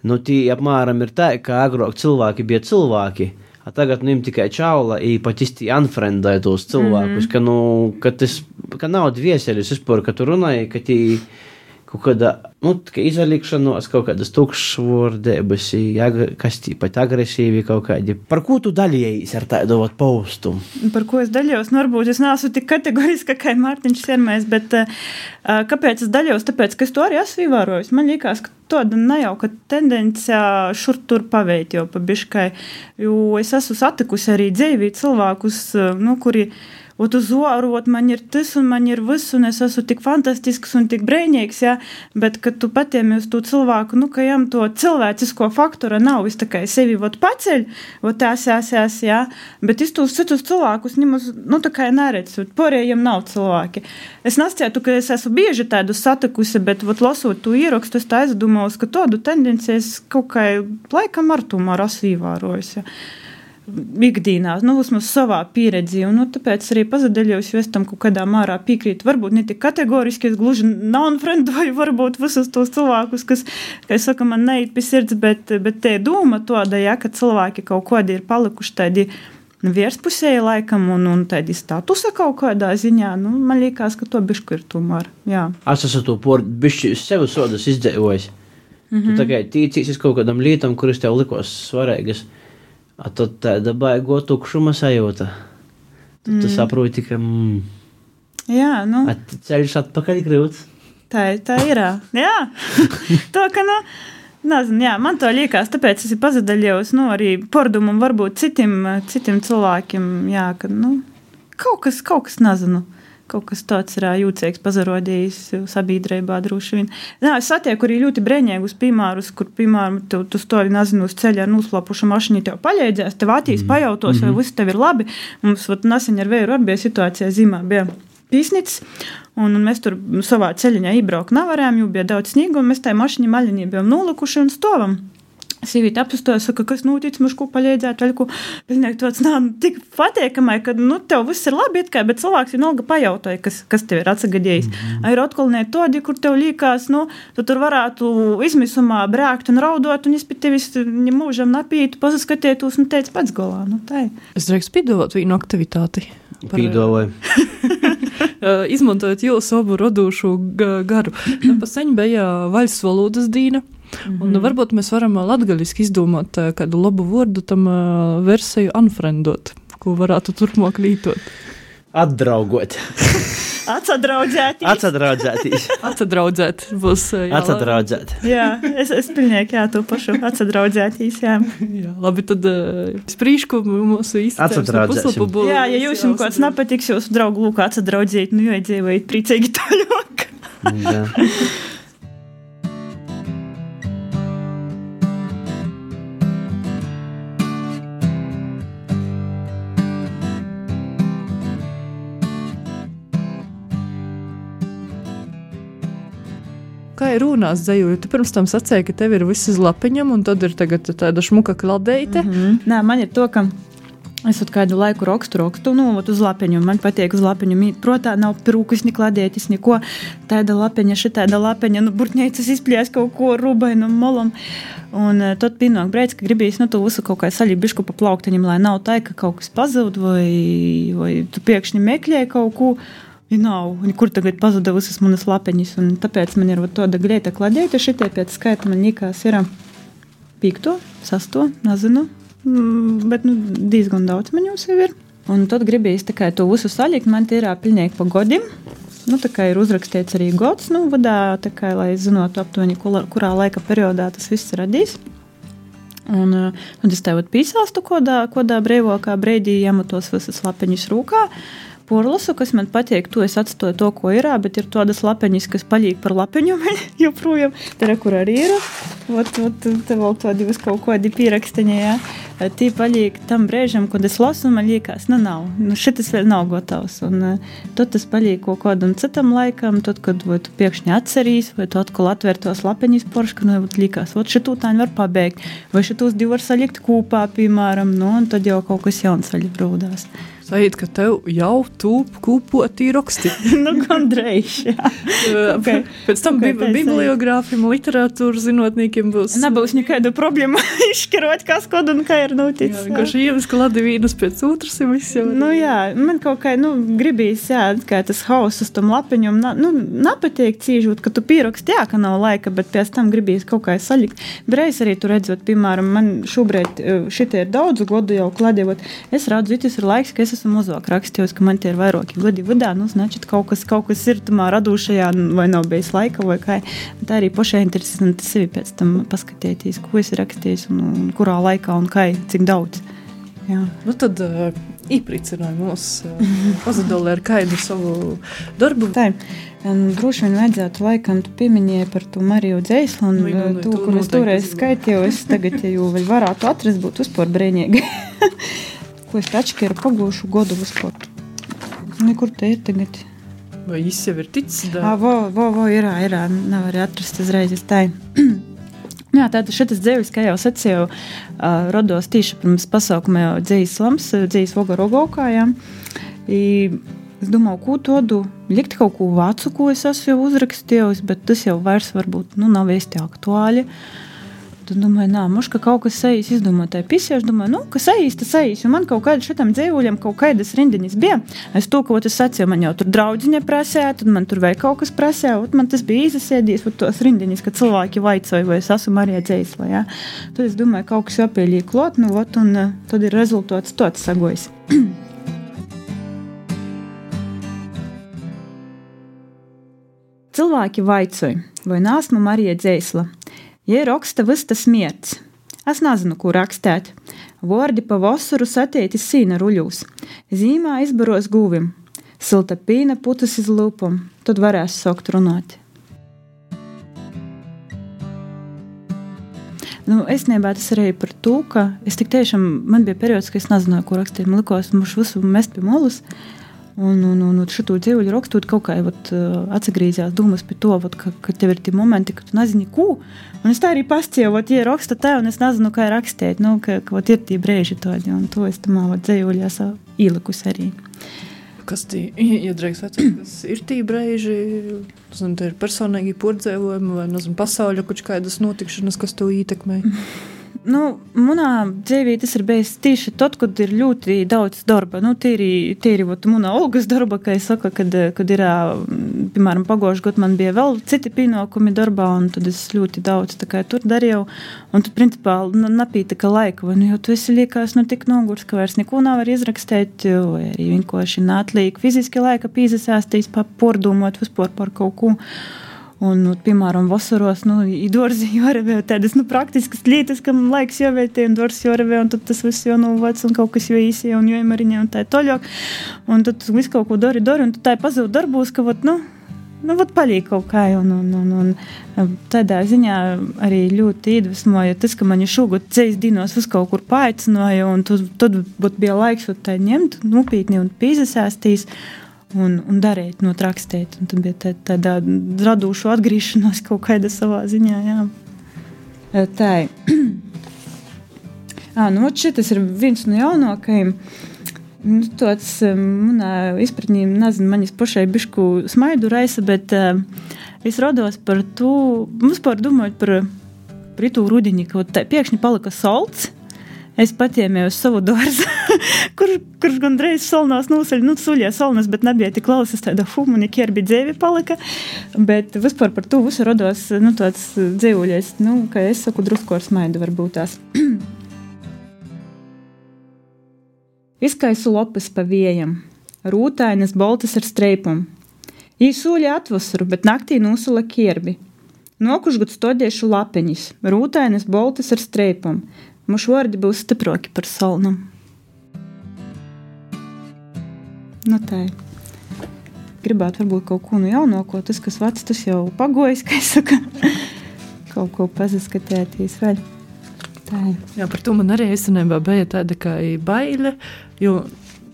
Nu, tī apmēram ir tā, ka agrāk cilvēki bija cilvēki, a tagad nu im tikai čaula i pat īsti unfriendai tos cilvēkus, mm-hmm. ka, nu, ka, tas, ka nav dvieseļus vispār, ka tu runāji, ka tī kaut kāda nu, tikai izvalikšanos, kaut kādas tukšvordēbas, kas tīpat agresīvi kaut kādi. Par ko tu daļējies ar tādu vat paustumu? Par ko es daļos? Nu, varbūt es neesmu tik kategoriska, kā Mārtiņš Siermais, bet uh, kāpēc es daļos? Tāpēc, ka es to arī esmu ievērojis. Man liekas, ka tāda nejauka tendencija šur tur paveikt jau pa biškai, jo es esmu satikusi arī dzīvī cilvēkus, nu, kuri ot uz oru, ot man ir tas un man ir viss, un es esmu tik fantastisks un tik brēņīgs, jā, bet, kad tu patiemi uz to cilvēku, nu, ka jām to cilvēcisko faktora nav, es tā kā sevi, ot paceļ, ot tās, jās, jās, jā, bet es tos citus cilvēkus nemaz, nu, tā kā neredzu, porējiem nav cilvēki. Es nasciētu, ka es esmu bieži tādu satikusi, bet, ot, lasot to ierakstu, es tā aizdomos, ka tādu tendenciju es kaut kā laikam ar tomēr esmu ievērojusi, jā. Ikdīnā, nu, vismaz savā pieredzi, un, nu, tāpēc arī pazadaļos, jo es tam kaut kādā mārā piekrītu. Varbūt ne tik kategoriski, es gluži non-friendoju, varbūt visus tos cilvēkus, kas, kā es saku, man neiet pie sirds, bet, bet te doma tāda, ja, ka cilvēki kaut kādi ir palikuši tādi vierspusēji laikam, un, un tādi statusa kaut kādā ziņā, nu, man liekas, ka to bišku ir tomēr, jā. Es esmu to por bišķi sevi sodas izdzīvojis. Mm-hmm. Tu tagad tīcīsies kaut kādam lietam, kuras tev likos svarīgas. A tad tāda baigo tukšuma sajūta. Tad mm. tu saproti, ka mm, jā, nu. At, ceļš atpakaļ grūts. Tā, tā ir. Jā. To, ka, nu, nezinu, jā, man to liekas, tāpēc es pazadaļos, nu, arī pordumam varbūt citiem, citiem cilvēkiem, jā, ka, nu, kaut kas, kaut kas nezinu. Kaut kas tāds ir jūcīgs pazarodījis sabiedrībā droši vien. Nā, es satieku arī ļoti brēņēgus piemērus, kur, piemēram, tu, tu stovi, nezinu, uz ceļa ar noslāpušu mašīnu, tev paļēdzēs, tev atīs, mm. pajautos, mm-hmm. vai viss tev ir labi. Mums, vat, nesen ar vēju arī bija situācijā zīmā, bija pīsnits, un, un mēs tur savā ceļiņā iebraukt nevarējām, jo bija daudz sniegu, un mēs tai mašīņa maļinī bijām nolikuši un stovam. Sīvīte apsastoja, saka, kas notic, mums ko paļēdzēt, vēl ko, pilnīgi tāds, nā, tik patiekamai, ka, nu, tev viss ir labi, it kā, bet cilvēks vienalga pajautāja, kas, kas tev ir atsagadījis. Mm-hmm. Ir atkolnē todi, kur tev līkās, nu, tu tur varētu izmisumā brēkt un raudot, un es pie tevis mūžam napītu, pasaskatietos, un teicu pats golā, nu, tā. Es drīkst pīdot vienu aktivitāti. Pīdoju. Izmantojot jūsu abu radošu garu. Pa seņ bija vaļas valodas dīna. Mm-hmm. Un varbūt mēs varam latgaliski izdomāt kādu labu vārdu tam versiju unfriendot, ko varētu turpmāk lītot. Atdraugot. Atsadraudzētīs. Atsadraudzētīs. Atsadraudzēt būs. Jā, Atsadraudzēt. Jā, es, es pilnīgi, jā, to pašu atsadraudzētīs, jā. Jā, labi, tad uh, sprīšku mūsu atsadraudzēsim. Jā, ja jūs jums kāds nepatiks, jūsu draugu lūk atsadraudzēt, nu jo iedzīvojat priecīgi tāļāk. Jā. Kā ir runās dzēju, tu pirms tam sacēji, ka tev ir viss uz lapiņam, un tad ir tagad tāda šmuka kladeite. Mm-hmm. Nē, man ir to, ka es ot kādu laiku rokstu, rokstu, nu, ot uz lapiņu, man patīk uz lapiņu mīt. Protā nav pirūkus, ni kladētis, neko. Tāda lapiņa, šitāda lapiņa, nu, burtņēcas izplies kaut ko rubainu molam. Un uh, tad pienāk brēc, ka gribīs, nu, tu visu kaut kā saļi bišku pa plaukteņam, lai nav tā, ka kaut kas pazūd, vai, vai tu piekšņi meklēji kaut ko. Ja nav, kur tagad pazuda visas manas lapeņas, un tāpēc man ir tāda gleita kladēta, šitie pēc skaita man likās ir pīkto, sasto, nezinu, bet nu, diezgan daudz man jūs jau ir. Un tad gribējis tā kā to visu salikt, man tie ir pilnīgi pa godim, nu tā kā ir uzrakstīts arī gods, nu vadā, tā kā, lai zinotu aptuveni, kurā laika periodā tas viss radīs. Un tad es tev pīsāstu kodā, kodā breivokā breidī jamatos visas lapeņas rūkā, porlasu, kas man patīk, to es atstoju to, ko ir, bet ir tādas lapeņas, kas palīk par lapeņu joprojām. Te, kur arī ir. Ot, ot, te vēl tādi vis kaut kādi pieraksteņi, jā. Tī palīk tam brēžam, kad es lasu, man liekas, nu nav. Nu, šitas vēl nav gotovs. Un tad tas palīk kaut kādam citam laikam, tad, kad vai tu piekšņi atcerīs, vai tu atkal atver tos lapeņas poršku, nu, liekas, ot, šitu tāņi var pabeigt. Vai šitus divi var salikt kūpā, piemēram, nu, un tad jau kaut kas jauns saļi brūdās. Sajūt, ka tev jau tūp kūpotī roksti. Nu, gandrīz, jā. Okay. Pēc tam okay, bi- bibliogrāfiem, literatūras zinotniekiem būs. Nebūs nekādu problēmu izšķirot, kas kod un kā ir noticis. Jā, vienkārši ielas kladi vīnas pēc otras ir viss jau. Nu jā, man kaut kā, nu, gribīs, jā, kā tas hauss uz tom lapiņum, na, nu, napateik cīžot, ka tu pieraksti, jā, ka nav laika, bet pēc tam gribīs kaut kā salikt. Bereiz arī tu redzot, piemēram, man šobrīd šitie ir daudzu godu jau kladījot, es redzu, tas ir laiks, ka es esmu mazāk rakstījos, ka man tie ir vairāki godi vadā, nu, značit, kaut kas, kaut kas ir tamā radūšajā, vai nav bijis laika, vai kā. Tā arī pašai interesanti sevi pēc tam paskatēties, ko es rakstījis un, un kurā laikā un kā, cik daudz. Jā. Nu tad uh, īpricināja mūs uh, pazadolē ar kādu savu darbu. Tā, un droši vien vajadzētu laikam, tu pieminēji par to Mariju Dzeislu un nu, nu, to, kur es toreiz skaitīju, es tagad, ja jau vēl varētu atrast, būtu uzpār brēņīgi. Ko es tački ar pagūšu godu uzpār. Nekur te ir tagad. Vai jis jau ir ticis? Ā, vo, vo, vo, irā, irā, nevar atrast uzreiz, es tā. Jā, tātad šitas dzēvis, kā jau sacīju, uh, rodos tīši pirms pasaukuma jau dzējas slams, dzējas voga rogaukā, jā. I, es domāju, ko todu, likt kaut ko vācu, ko es esmu jau uzrakstījusi, bet tas jau vairs varbūt, nu, nav īsti aktuāli. Tad domāju, nā, muška kaut kas sajīs, izdomāju tai pisieši, domāju, nu, ka sajīs, tas sajīs, jo man kaut kāda šitam dzēvuļam kaut kādas rindiņas bija. Es to, ko es sacīju, man jau tur draudziņa prasēja, tad man tur vēl kaut kas prasēja, man tas bija izasiedies, tos rindiņas, ka cilvēki vaicoja, vai es esmu Marija Dzeisla, jā. Tad es domāju, kaut kas jāpielīja klot, nu, ot, un tad ir rezultāts tāds sagojis. Cilvēki vaicoja, vai nāsmu Marija Dzeisla. Ja raksta vysta smierts. Es nezinu, ko rakstēt. Vordi pa vasaru satietis sīna ruļūs. Zīmā izbaros guvim. Silta pīna putas iz lūpam. Tad varēs sokt runāt. Nu, es nebā tas arī par to, ka es tik tiešām, man bija periods, ka es nezināju, ko rakstīt. Man likos, muš visu mest pie molus. Un, un, un šito dzīvuļu rakstot kaut kā vat, atsagrīzās dūmas pie to, vat, ka, ka tev ir tie momenti, ka tu nezini, ko. Un es tā arī pastīju, vat, ja raksta tā, un es nezinu, kā rakstīt, nu, ka, ka vat, ir tie brēži tādi, un to es tamā dzīvuļās ielikus arī. Kas tī, ja drēks vecāk, kas ir tī brēži, nezinu, te ir personīgi pordzēvojumi, vai, nezinu, pasauļa kuč kādas notikšanas, kas to ietekmē? Nu, manā dzīvī tas ir bijis tieši tad, kad ir ļoti daudz darba. Nu, tīri, tīri, vot, manā Olgas darba, kā es saku, kad, kad ir, piemēram, pagošu gadu man bija vēl citi pienākumi darbā, un tad es ļoti daudz tā kā tur darīju, un tad, principā, napītika laika, vai, nu, jo tu esi liekās, nu, tik nogurs, ka vairs neko nav var izrakstēt, vai arī vienkārši nātlīgi fiziski laika pīzasāstīs, pārdomot vispār par kaut ko. Un, nu, piemēram, vasaros, nu, i dorzi jārevē tādas, nu, praktiskas lietas, kam laiks jāvētē, un dors jārevē, un tad tas viss jau, nu, vec, un kaut kas jau īsie, un jāimariņē, un tā toļāk. Un tad viss kaut ko dori, dori, un tad tā pazūd darbūs, ka, vat, nu, nu, vat palīk kaut kā, un, un, un, un tādā ziņā arī ļoti iedvesmoja tas, ka mani šogad ceļas dienos vis kaut kur paaicināja, un tad, tad vat, bija laiks vat, tā ņemt, nopītni un pīzasāstīs, un, un darīt, not rakstīt. Un tad bija tā, tādā radūšu atgriešanos kaut kāda savā ziņā, jā. Tā. Ā, nu, šitas ir viens no jaunākajiem. Nu, tāds, manā izpratnī, nezinu, manis pašai bišku smaidu raisa, bet uh, es rados par to, mums par domājot par, par itū rudiņi, ka tā, piekšņi palika solts. Es patiemēju uz savu dārzu, kur, kurš gandreiz solnās nūsaļ, nu, suļie solnas, bet nebija tik klausas tāda humani, kierbi dzēvi palika, bet vispār par to visu rodos, nu, tāds dzēvuļies, nu, kā es saku, drusku ar smaidu varbūt tās. Izkaisu lopes pa viejam, rūtainas boltas ar streipum. Jī sūļa atvasaru, bet naktī nūsula kierbi. Nokušgud stodiešu lapeņis, rūtainas boltas ar streipum. Mušu vārdi būs stiproki par solnam. Nu tā. Gribētu varbūt kaut ko no jaunāko, tas, kas vecs, tas jau pagojis, kā es saku. Kaut ko pazaskatēties vēl. Tā. Jā, par to man arī esenībā bija tāda kā baile, jo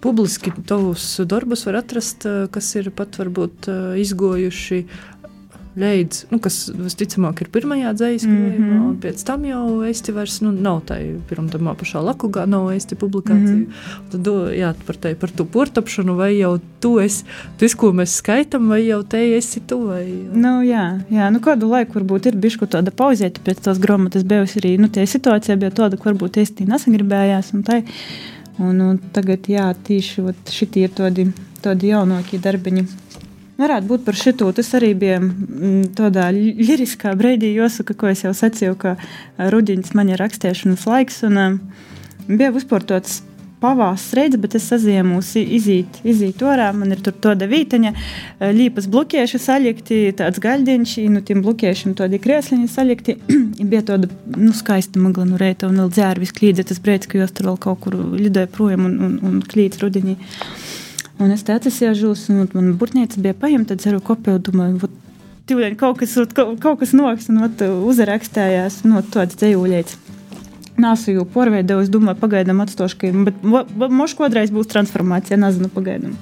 publiski tavus darbus var atrast, kas ir pat varbūt izgojuši leidz, nu, kas visticamāk ir pirmajā dzējas krājumā, Mhm. un pēc tam jau esti vairs, nu, nav tai pirmtamā pašā Lakugā, nav esti publikāciju. Mhm. Tad, do, jā, par tai, par tu portapšanu, vai jau tu esi, tu esi, ko mēs skaitam, vai jau te esi tu, vai... Nu, jā, jā, nu kādu laiku varbūt ir bišku tāda pauzēta pēc tās grāmatas bijusi arī, nu, tie situācija bija tāda, ka varbūt es tī nesagribējās, un tai, un, un tagad, jā, tīši, vat, šitie ir tādi, tādi jaunākie darbiņi. Varētu būt par šito, tas arī bija m, tādā liriskā breidī jāsaka, ko es jau sacīju, ka rudiņas man ir rakstēšanas laiks, un um, bija vispār tāds pavās reidze, bet es saziemūs izīt, izīt orā, man ir tur tāda vīteņa, līpas blokieši salikti, tāds gaļdiņš, nu tiem blokiešiem tādi kriesliņi salikti, bija tāda, nu, skaista magla no reita, un vēl dzērvis klīdze, tas brēc, ka jūs tur vēl kaut kur lidoja projām un, un, un klīdz rudiņī. Un es te atsasiežos, un man burtniece bija paņemta, tad ceru kopēju, domāju, vot, tīvļaņ kaut kas, kaut, kaut kas noks, un vot, uzarakstējās, nu, tāds dzējūļēts. Nāsu jau porveidoju, es domāju, pagaidām atstošu, ka, bet moš kodreiz būs transformācija, nezinu, pagaidām.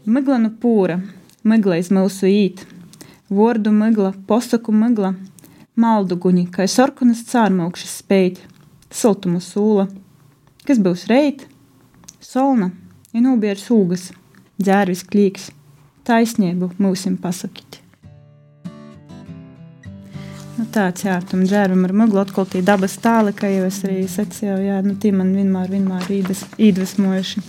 Migla nu pūra, migla iz mūsu īt, vordu migla, posaku migla, maldu guņi, kai sorkunas cārmaukšas spēt, siltumu sūla, kas būs reit, solna, ja nūbier sūgas, dzērvis klīks, taisniebu mūsim pasakīt. Nu tāds, jā, tam dzērvam ar muglu atkal tī dabas tāli, kā jau es arī sacīju, jā, nu tī man vienmēr, vienmēr īdas, īdvesmojuši.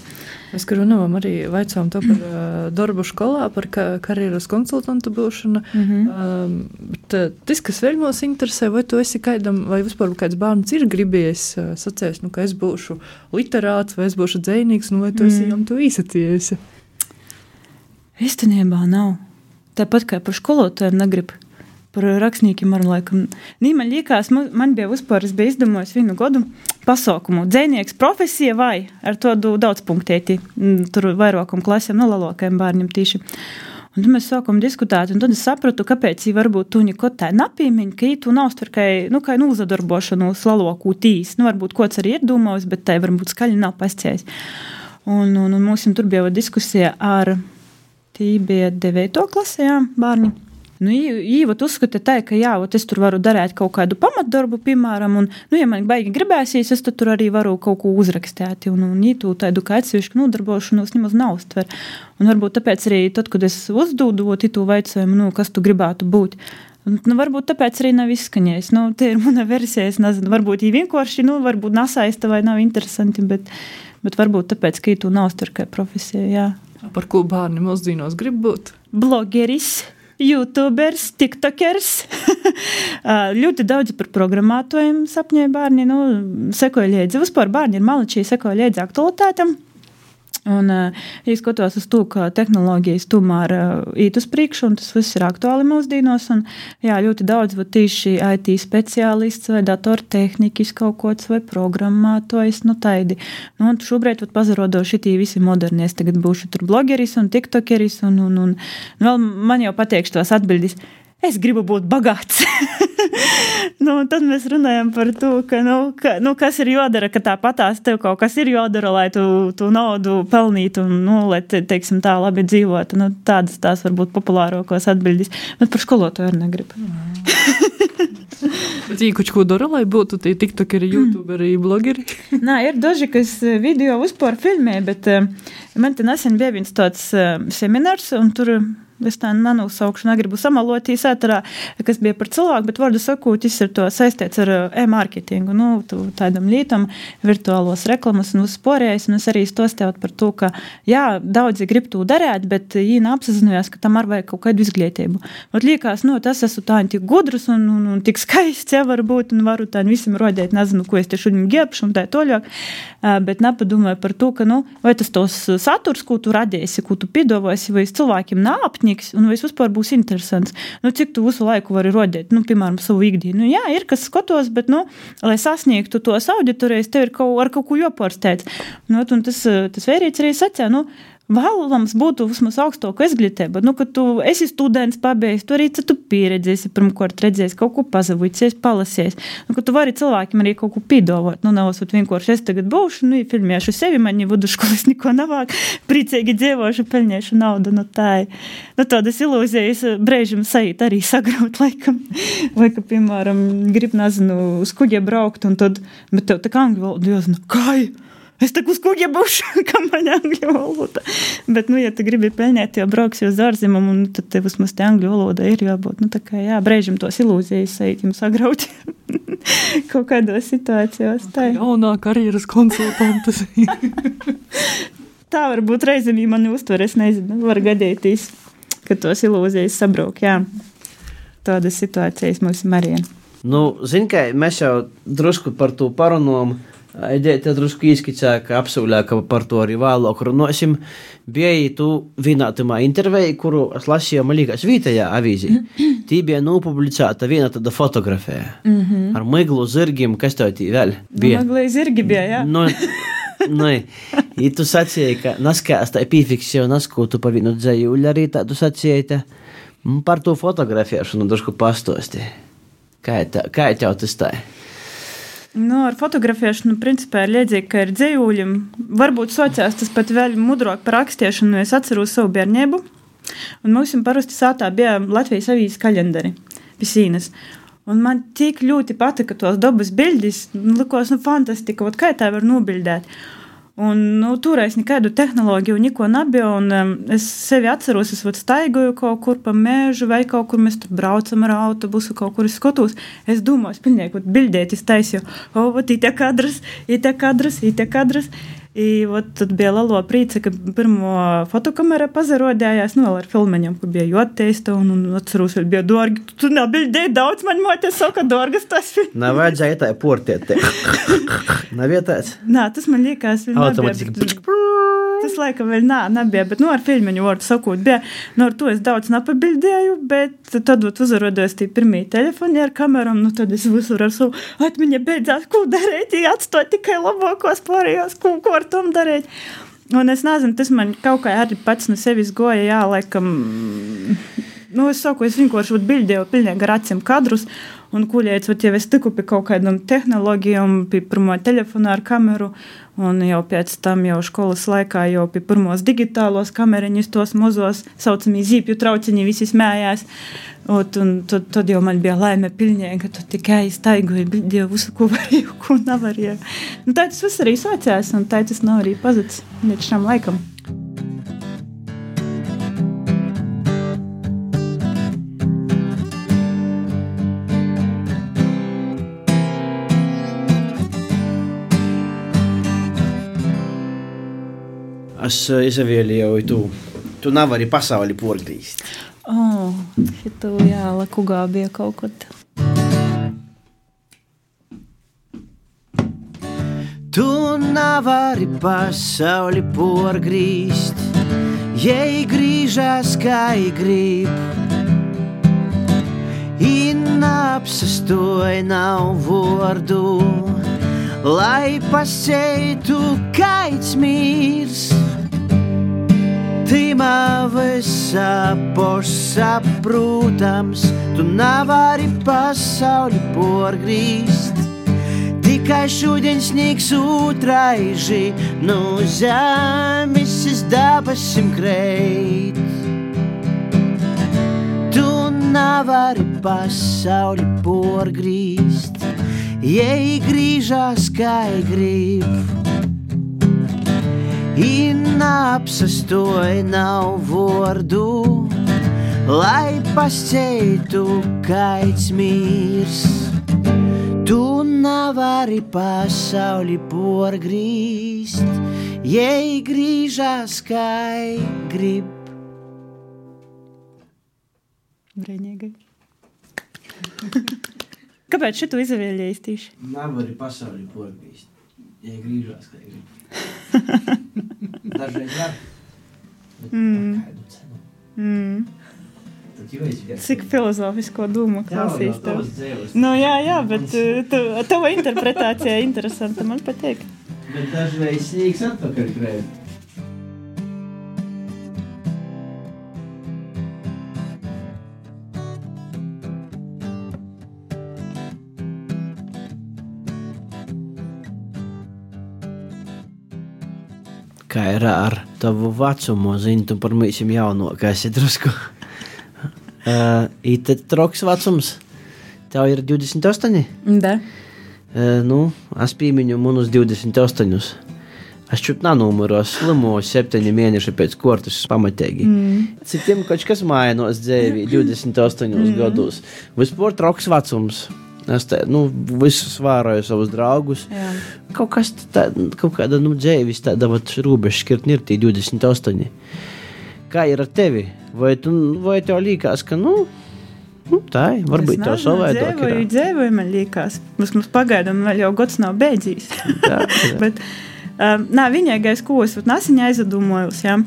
Mēs, ka runājam, arī vaicām to par uh, darbu skolā, par ka, karjeras konsultantu būšanu. Mhm. Um, bet uh, tas, kas vēl mūs interesē, vai tu esi kaidam, vai vispār kāds bērns ir gribējis uh, sacēst, nu, ka es būšu literāts, vai es būšu dzejnīgs, nu, vai tu esi jām to īsacījusi? Īstenībā nav. Tāpat kā par skolotājiem negrib. Par rakstniekiem ar laikam. Nī, man liekas, man, man bija vispār, es biju izdomājis vienu godu pasaukumu. Dzejnieks profesija vai ar to daudz punktēti. Tur vairākam klasēm, no lalokajiem bērniem tīši. Un tad mēs sākam diskutēt, un tad es sapratu, kāpēc jī varbūt tu neko tā napīmiņ, ka jī tu nav stver, kai, nu, kai nu uzadarbošanos lalokū tīs. Nu, varbūt kods arī ir domājis, bet tai varbūt skaļi nav pasciējis. Un, un, un mums tur bija diskusija ar, tī bija devēto klasē, jā, bārņi. Nu, īvat uzskata tā, ka jā, ot es tur varu darēt kaut kādu pamatdarbu, piemēram, un, nu, ja man baigi gribēsies, es tur arī varu kaut ko uzrakstēt, un, un ītu tādu kā atsevišķu nodarbošanos nemaz nav uztver. Un varbūt tāpēc arī tad, kad es uzdūdu, ot ītu vaicojumu, nu, kas tu gribētu būt, un, nu, varbūt tāpēc arī nav izskaņējis. Nu, te ir mana versija, es nezinu, varbūt jī vienkārši, nu, varbūt nasaista vai nav interesanti, bet, bet varbūt tāpēc, ka ītu nav uztver kā profesija, jā. Par ko bērni mūsdīnos grib būt? Blogeris. YouTubers, tiktokers, ļoti daudzi par programmātojiem sapņoja bērni, nu, sekoja liedzi. Vispār bērni ir malačī, sekoja liedzi aktualitātam. Un, ja skatos uz to, ka tehnoloģijas tomēr īt uz priekšu, un tas viss ir aktuāli mūsdīnos, un jā, ļoti daudz, va, tīši I T speciālists vai datortehnikas kaut kods vai programmātojs, nu taidi. Nu, un šobrīd, va, pazarodo šitī visi modernies, tagad būšu tur blogeris un tiktokeris, un, un, un, un vēl man jau pateikšu tos atbildis, es gribu būt bagāts. Nu, tad mēs runājam par to, ka, nu, ka, nu, kas ir jodara, ka tāpatās tev kaut kas ir jodara, lai tu, tu naudu pelnītu un, nu, lai, te, teiksim, tā labi dzīvotu. Nu, tādas tās varbūt populārākos atbildīs. Bet par skolotāju arī negribu. Bet īkuči, ko dara, lai būtu tie tiktokeri, youtuberi, blogeri? Nā, ir daži, kas video vispār filmē, bet uh, man te nesen bija viens tāds uh, seminārs, un tur es tā nenosaukšu, negribu samalot īsātarā, kas bija par cilvēku, bet vārdu sakot, tas ir to saistīts ar e-marketingu, nu, tādam lītam, virtuālos reklamas un uzsporējais, un es arī stostēju par to, ka, jā, daudzi grib to darēt, bet jī neapsazinājās, ka tam ar vajag kaut kādu izglītību. Ot liekas, nu, tas esmu tā tik gudrus un, un, un tik skaists, ja, var būt, un varu tā visam rodēt, nezinu, ko es te šodien ģēpšu un tā toļāk, bet nepadomāju par to, ka, nu, vai tas tos saturs, ko tu radīsi, ko tu piedāvāsi, vai cilvēkiem nāpņi, un vai es vispār būs interesants. Nu, cik tu visu laiku vari rodēt, nu, piemēram, savu ikdienu. Nu, jā, ir, kas skatos, bet, nu, lai sasniegtu tos auditorijas, tev ir kaut, ar kaut ko jopārsteidz. Nu, un tas, tas vērīts arī sacē, nu, vēlams būtu vismaz augstāku izglītību, nu, ka tu esi students pabeigts, tu arī tu pieredzēsi, pirmkārt redzēsi, kaut ko pazavīsies, palasies, nu, ka tu vari cilvēkiem arī kaut ko pīdovot, nu, nevasot vienkārši es tagad būšu, nu, filmēšu sevi, man vidusskolas neko navāk, priecīgi dzīvošu, peļņēšu naudu, nu, tā, nu, tādas ilūzijas brēžam sajūt arī sagraut laikam, vai, ka, piemēram, grib, nezinu, uz kuģi braukt, un tad, bet tev tā kā angļu valoda, jāzina, kā? Es tak uz kuģi būšu, kā man angļu valoda. Bet, nu, ja tu gribi peļņēt, jau brauks jau uz ārzemēm, un tad tev vismaz te angļu valoda ir jābūt. Nu, tā kā, jā, brēžam tos ilūzijas sajūt jums sagraut kaut kādos situācijos. Tā. Jaunā karjeras konsultantas. Tā varbūt reizēm, ja mani uztver, es nezinu, var gadīties, ka tos ilūzijas sabrauk, jā. Tādas situācijas mums ir Marija. Nu, zin, ka mēs jau drusku par to parunām, Aidēti drusku īskicā, ka apsūļā, ka par to arī vēlāk runosim. Bija tu vienā tamā intervijā, kuru es lasīju, man liekas, vietējā avīzī. Tī bija nopublicēta viena tāda fotografija. Mm-hmm. Ar miglu zirgiem, kas tev tī vēl bija? Nu, miglu zirgi bija, jā. Nu, nu, ja tu sacīji, ka naskās tā pīfiks jau naskūtu pa vienu dzējuļu, arī tā tu sacīji, tā par to fotografēšanu drusku pastosti. Kā ir tev tas tā? Nu, ar fotografēšanu, principā, ir liedzīgi, ka ir dzejūļiem. Varbūt sociās tas pat vēl mudrāk par rakstiešanu, es atceros savu bērnību. Un mums parasti sātā bija Latvijas avīzes kalendari pie sīnas. Un man tik ļoti patika tos dabas bildis, likos, nu, fantastika, ot kā tā var nobildēt. Un, nu, toreiz nekādu tehnoloģiju neko nebija, un um, es sevi atceros, es vat staigoju kaut kur pa mēžu, vai kaut kur mēs tur braucam ar autobusu, kaut kur es skatos. Es domāju, es pilnīgi vat bildēt, es taisīju, o, vat ite kadras, ite kadras, ite kadras. I, vat, tad bija lalo prīce, ka pirmo fotokamera pazarodējās, nu, vēl ar filmeņiem, kur bija joteista, un, un atceros, vēl bija dārgi. Tu, tu nebildēji daudz, man māte saka, dārgas tas filmas. Nav vajadzēja tā portiet te. Nav vietāts? Nā, tas man liekas, vēl automatiski. nebija. Tas laika vēl nā, nebija, bet, nu, ar filmeņu vārdu sakot, bija, nu, ar to es daudz nepabildēju, bet tad, vat, uzarodojos tī pirmī telefoni ar kameram, nu, tad es visur ar savu atmiņa beidzās, ko darēt, ja atstāt tikai labākos pārējos, ko, ko ar tom darēt. Un es nezinu, tas man kaut kā arī pats no sevis goja, jā, laikam, nu, es saku, es vienkārši vat bildēju pilnīgi ar acim kadrus, un kuļēts, vat jau es tiku pie kaut kādam tehnoloģijām, pie pirmo telefonu ar kameru, un jau pēc tam jau školas laikā jau pie pirmos digitālos kameriņus tos mozos, saucamī zīpju trauciņi visi smējās, ot, un tad, tad jau man bija laime pilnīgi, ka tu tikai staigoji, bildēju visu, ko varēju, ko nevarēju. Nu, tā tas viss arī sācās, un tā tas nav arī pazuds līdz šam laikam. Es izvēlēju tu, tu nevari pasauli porgrīst. O, oh, šito, jā, lakugā bija kaut kad. Tu nevari pasauli porgrīst, jei grīžās kā grib. I neapsastoj nav vordu, lai paseitu kaits mīrs. Tīmā visā pošā, protams, tu nevari pasauli porgrīst. Tikai šodien sniegs utraiži, no zemes es dabasim kreit. Tu nevari pasauli porgrīst, jei grīžās kā grib. I neapsastoj nav vordu, lai paseitu kaits mīrs. Tu nevari pasauli porgrīst, jei grīžās kā grib. Brēņēgai. Kāpēc šitu izvēlējies tīši? Nevari pasauli porgrīst, jei grīžās kā grib. Dažreiz var, bet mm. par kādu cenu. Mm. Tad jau es vienkārši... Cik filozofisko dūmu klausīs jā, tev? Dzīvos, Nu jā, jā, bet tu, tava interpretācija interesanta, man patīk. Bet dažreiz sniegs atpakaļ krēt. kā ir ar tavu vecumu, zini, tu par mīsim jaunokais ir drusku. uh, I tad troks vecums, tev ir divdesmit astoņi? Da. Uh, nu, es pīmiņu munus divdesmit astoņus. Es čūt nanūmuros slimo septiņi mēneši pēc kortas pamatīgi. Mm. Citiem kaut kas mainos dzēvī divdesmit astoņos mm. gadus. Vispār troks vecums. Es te, nu, visus vāroju savus draugus. Jā. Kaut kas tā, kaut kāda, nu, dzēvis tāda, vat, rūbeša škirtni ir tī divdesmit astoņi. Kā ir ar tevi? Vai, tu, vai tev līkās, ka, nu, nu tā, varbūt tev savādāk ir? Dzēvoju, dzēvoju, man līkās. Mums, mums pagaidām vēl jau gods nav beidzīs. Tā, jā. Bet, Um, nā, viņaigais, ko es nasiņā aizdomojos, jā,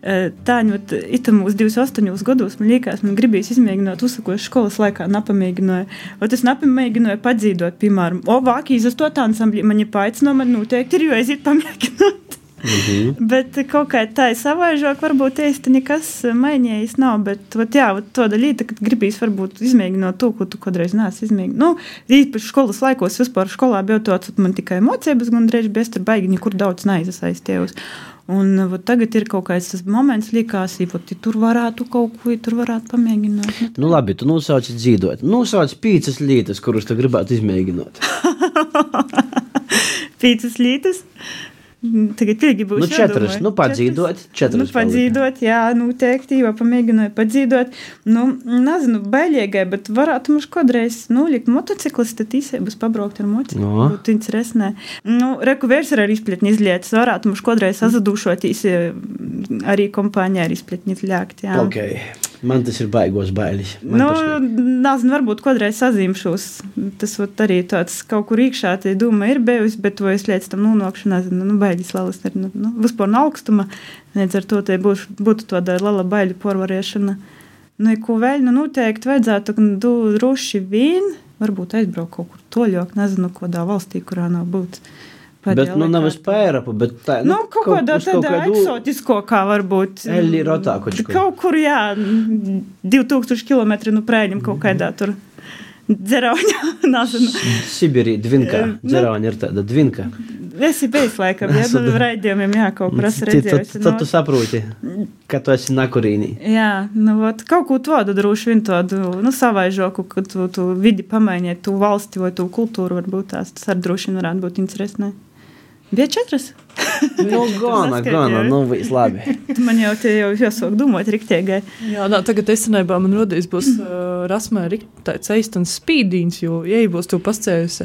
tāņi, vat, itam uz divdesmit astoņos gados, man liekas, man gribīs izmēģināt uzsakošu školas laikā, napamēģināju. Ot es napamēģināju padzīdot, piemēram, o, vākīs uz to tā ansambļi, man ir paicino, man noteikti ir, jo aiziet pamēģināt. Mm-hmm. Bet kaut kā tā ir savaižāk, varbūt īsti nekas mainījis nav, bet vat, jā, vat, to daļīta, kad gribīs varbūt izmēģināt to, ko tu kodreiz neesi izmēģināt. Nu, īpaši školas laikos vispār školā bija tāds, man tikai mocības gandrīz, bet es tur baigi nekur daudz neaizasaistījos. Un vat, tagad ir kaut kāds tas moments likās, ja tur varētu kaut ko, tur varētu pamēģināt. Nu labi, tu nosauci dzīdot. Nosauci pīcas lītas, kurus tu gribētu izmēģināt. Pīcas lītas? Tagad pilgi būs nu, četras, nu padzīdot, četras. Nu, padzīdot, jā, nu, teikti, jo pamēģināju padzīdot. Nu, nezinu, bailīgai, bet varētu mums kodreiz, nu, likt motociklis, tad īsēbus pabraukt ar mocikli. No. Būtu interesanē. Nu, reku vērs ar izpletni izlietas, varētu mums kodreiz azadūšotīs arī kompāņā ar izpletni izļākt, jā. Ok. Man tas ir baigos bailis. Man nu, nezinu, varbūt kodreiz sazīmšos. Tas vat arī tāds kaut kur iekšā tie doma ir bijusi, bet vai es līdz tam nonākšu, nezinu, nu, baiļas lalas ir, nu, nu, vispār no augstuma. Līdz ar to te būs, būtu tāda lala baiļu porvarēšana. Nu, ko vēl, nu, noteikti vajadzētu, nu, droši vien, varbūt aizbraukt kaut kur toļāk, nezinu, kodā valstī, kurā nav būt. Bet, nu, nav es pērapu, bet tā, nu, nu kaut kādā tādā eksotisko, kā varbūt. Eli rotā, kočko. Kaut kur, jā, divi tūkstoši kilometri, nu, prēļim kaut kādā tur dzerauņā, nezinu. Sibirī, dvinka, dzerauņa ir tāda dvinka. Esi bijis laikam, jā, nu, raidījumiem, jā, kaut kur esi redzējusi. Tad tu saproti, ka tu esi nakurīnī. Jā, nu, vat, kaut ko tādu droši vien tādu, nu, savaižoku, ka tu, tu vidi pamainiet, tu valsti vai tu kultūru varbūt tās, tas ar droši vien varētu būt interesanti. Bija četras? Nu, gana, gana, nu, viss labi. Man jau te jau jāsāk domāt riktiegai. Jā, nā, tagad esenībā man rodīs būs uh, rasmē tāds eistans spīdīns, jo, ja būs tu pascējusi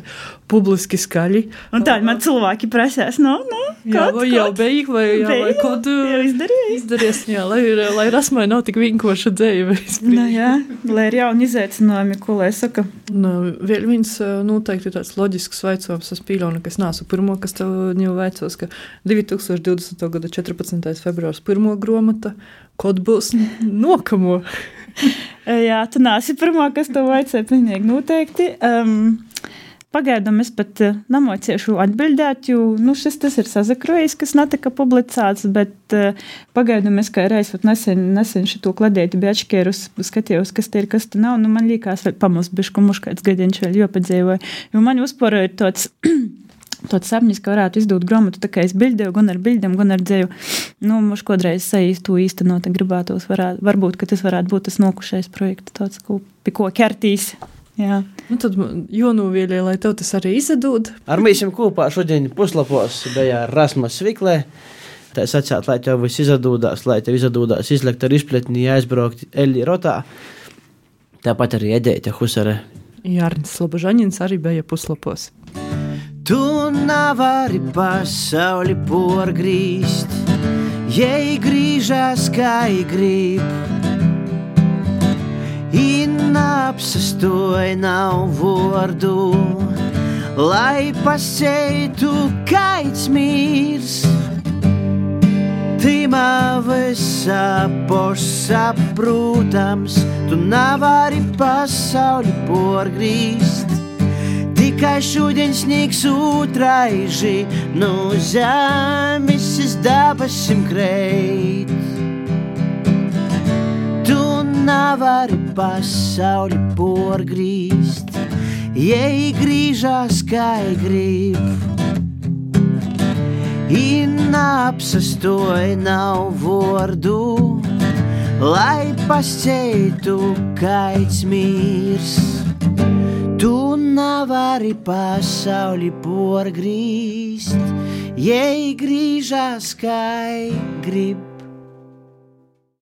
publiski skaļi. Un tā, man cilvēki prasēs, no, no, jā, kaut, vai jau beig, vai, jā, beig, vai kaut jau izdarījis. Izdarījis, jā, lai, lai rasmē nav tik vinkoša dzēja. Nu, jā, lai ir jauni izaicinājumi, ko lai saka. Nu, vēl viens noteikti ir tāds loģisks vaicojums, es pīļaunu, ka es nāsu pirmo, kas tev jau veicos, ka divi tūkstoši divdesmitā gada četrpadsmitais februārs pirmo gromata, kod būs nokamo. Jā, tu nāsi pirmā, kas tev vaicēja, pilnīgi noteikti. Um, pagaidām es pat namociešu atbildēt, jo, nu, šis tas ir sazakrojis, kas netika publicēts, bet uh, pagaidām es kā reiz nesen, nesen šito kladēti bija atšķērus, skatījos, kas te ir, kas te nav, nu, man līkās vēl pamaz bišku muškāds gadienš vēl jopadzēvoja, jo man uzporo ir tāds tāds sapnis, ka varētu izdot gromatu, tā kā es bildēju, gan ar bildēm, gan ar dzēju. Nu, mums kodreiz saīst to īstenot, gribētos, varētu, varbūt, ka tas varētu būt tas nokušais projekts, tāds, ko, pie ko ķertīs. Jā. Nu, tad jonūvīļē, lai tev tas arī izdod. Ar mīsim kopā šodien puslapos bija Rasmas Sviklē. Tā es atsāt, lai tev viss izdodās, lai tev izdodās izlekt ar izpletni, aizbraukt Eli rotā. Tāpat arī Edēta Husare. Jārnis Slobožaņins arī bija puslapos. Tu nevari pasauli porgrīst, jei grīžās kā grib. I neapsastoj nav vordu, lai paseitu kaits mīrs. Tīmā visā pošsaprūtams, tu nevari pasauli porgrīst. Tikai šodien sniegs utraiži, no zemes es dabasim kreit. Tu nevari pasauli porgrīst, jei grīžās kā grib. I neapsastoj nav vordu, lai pasceitu kaits mīrs. Tu nevari pasauli porgrīst, jei grīžas kai grib.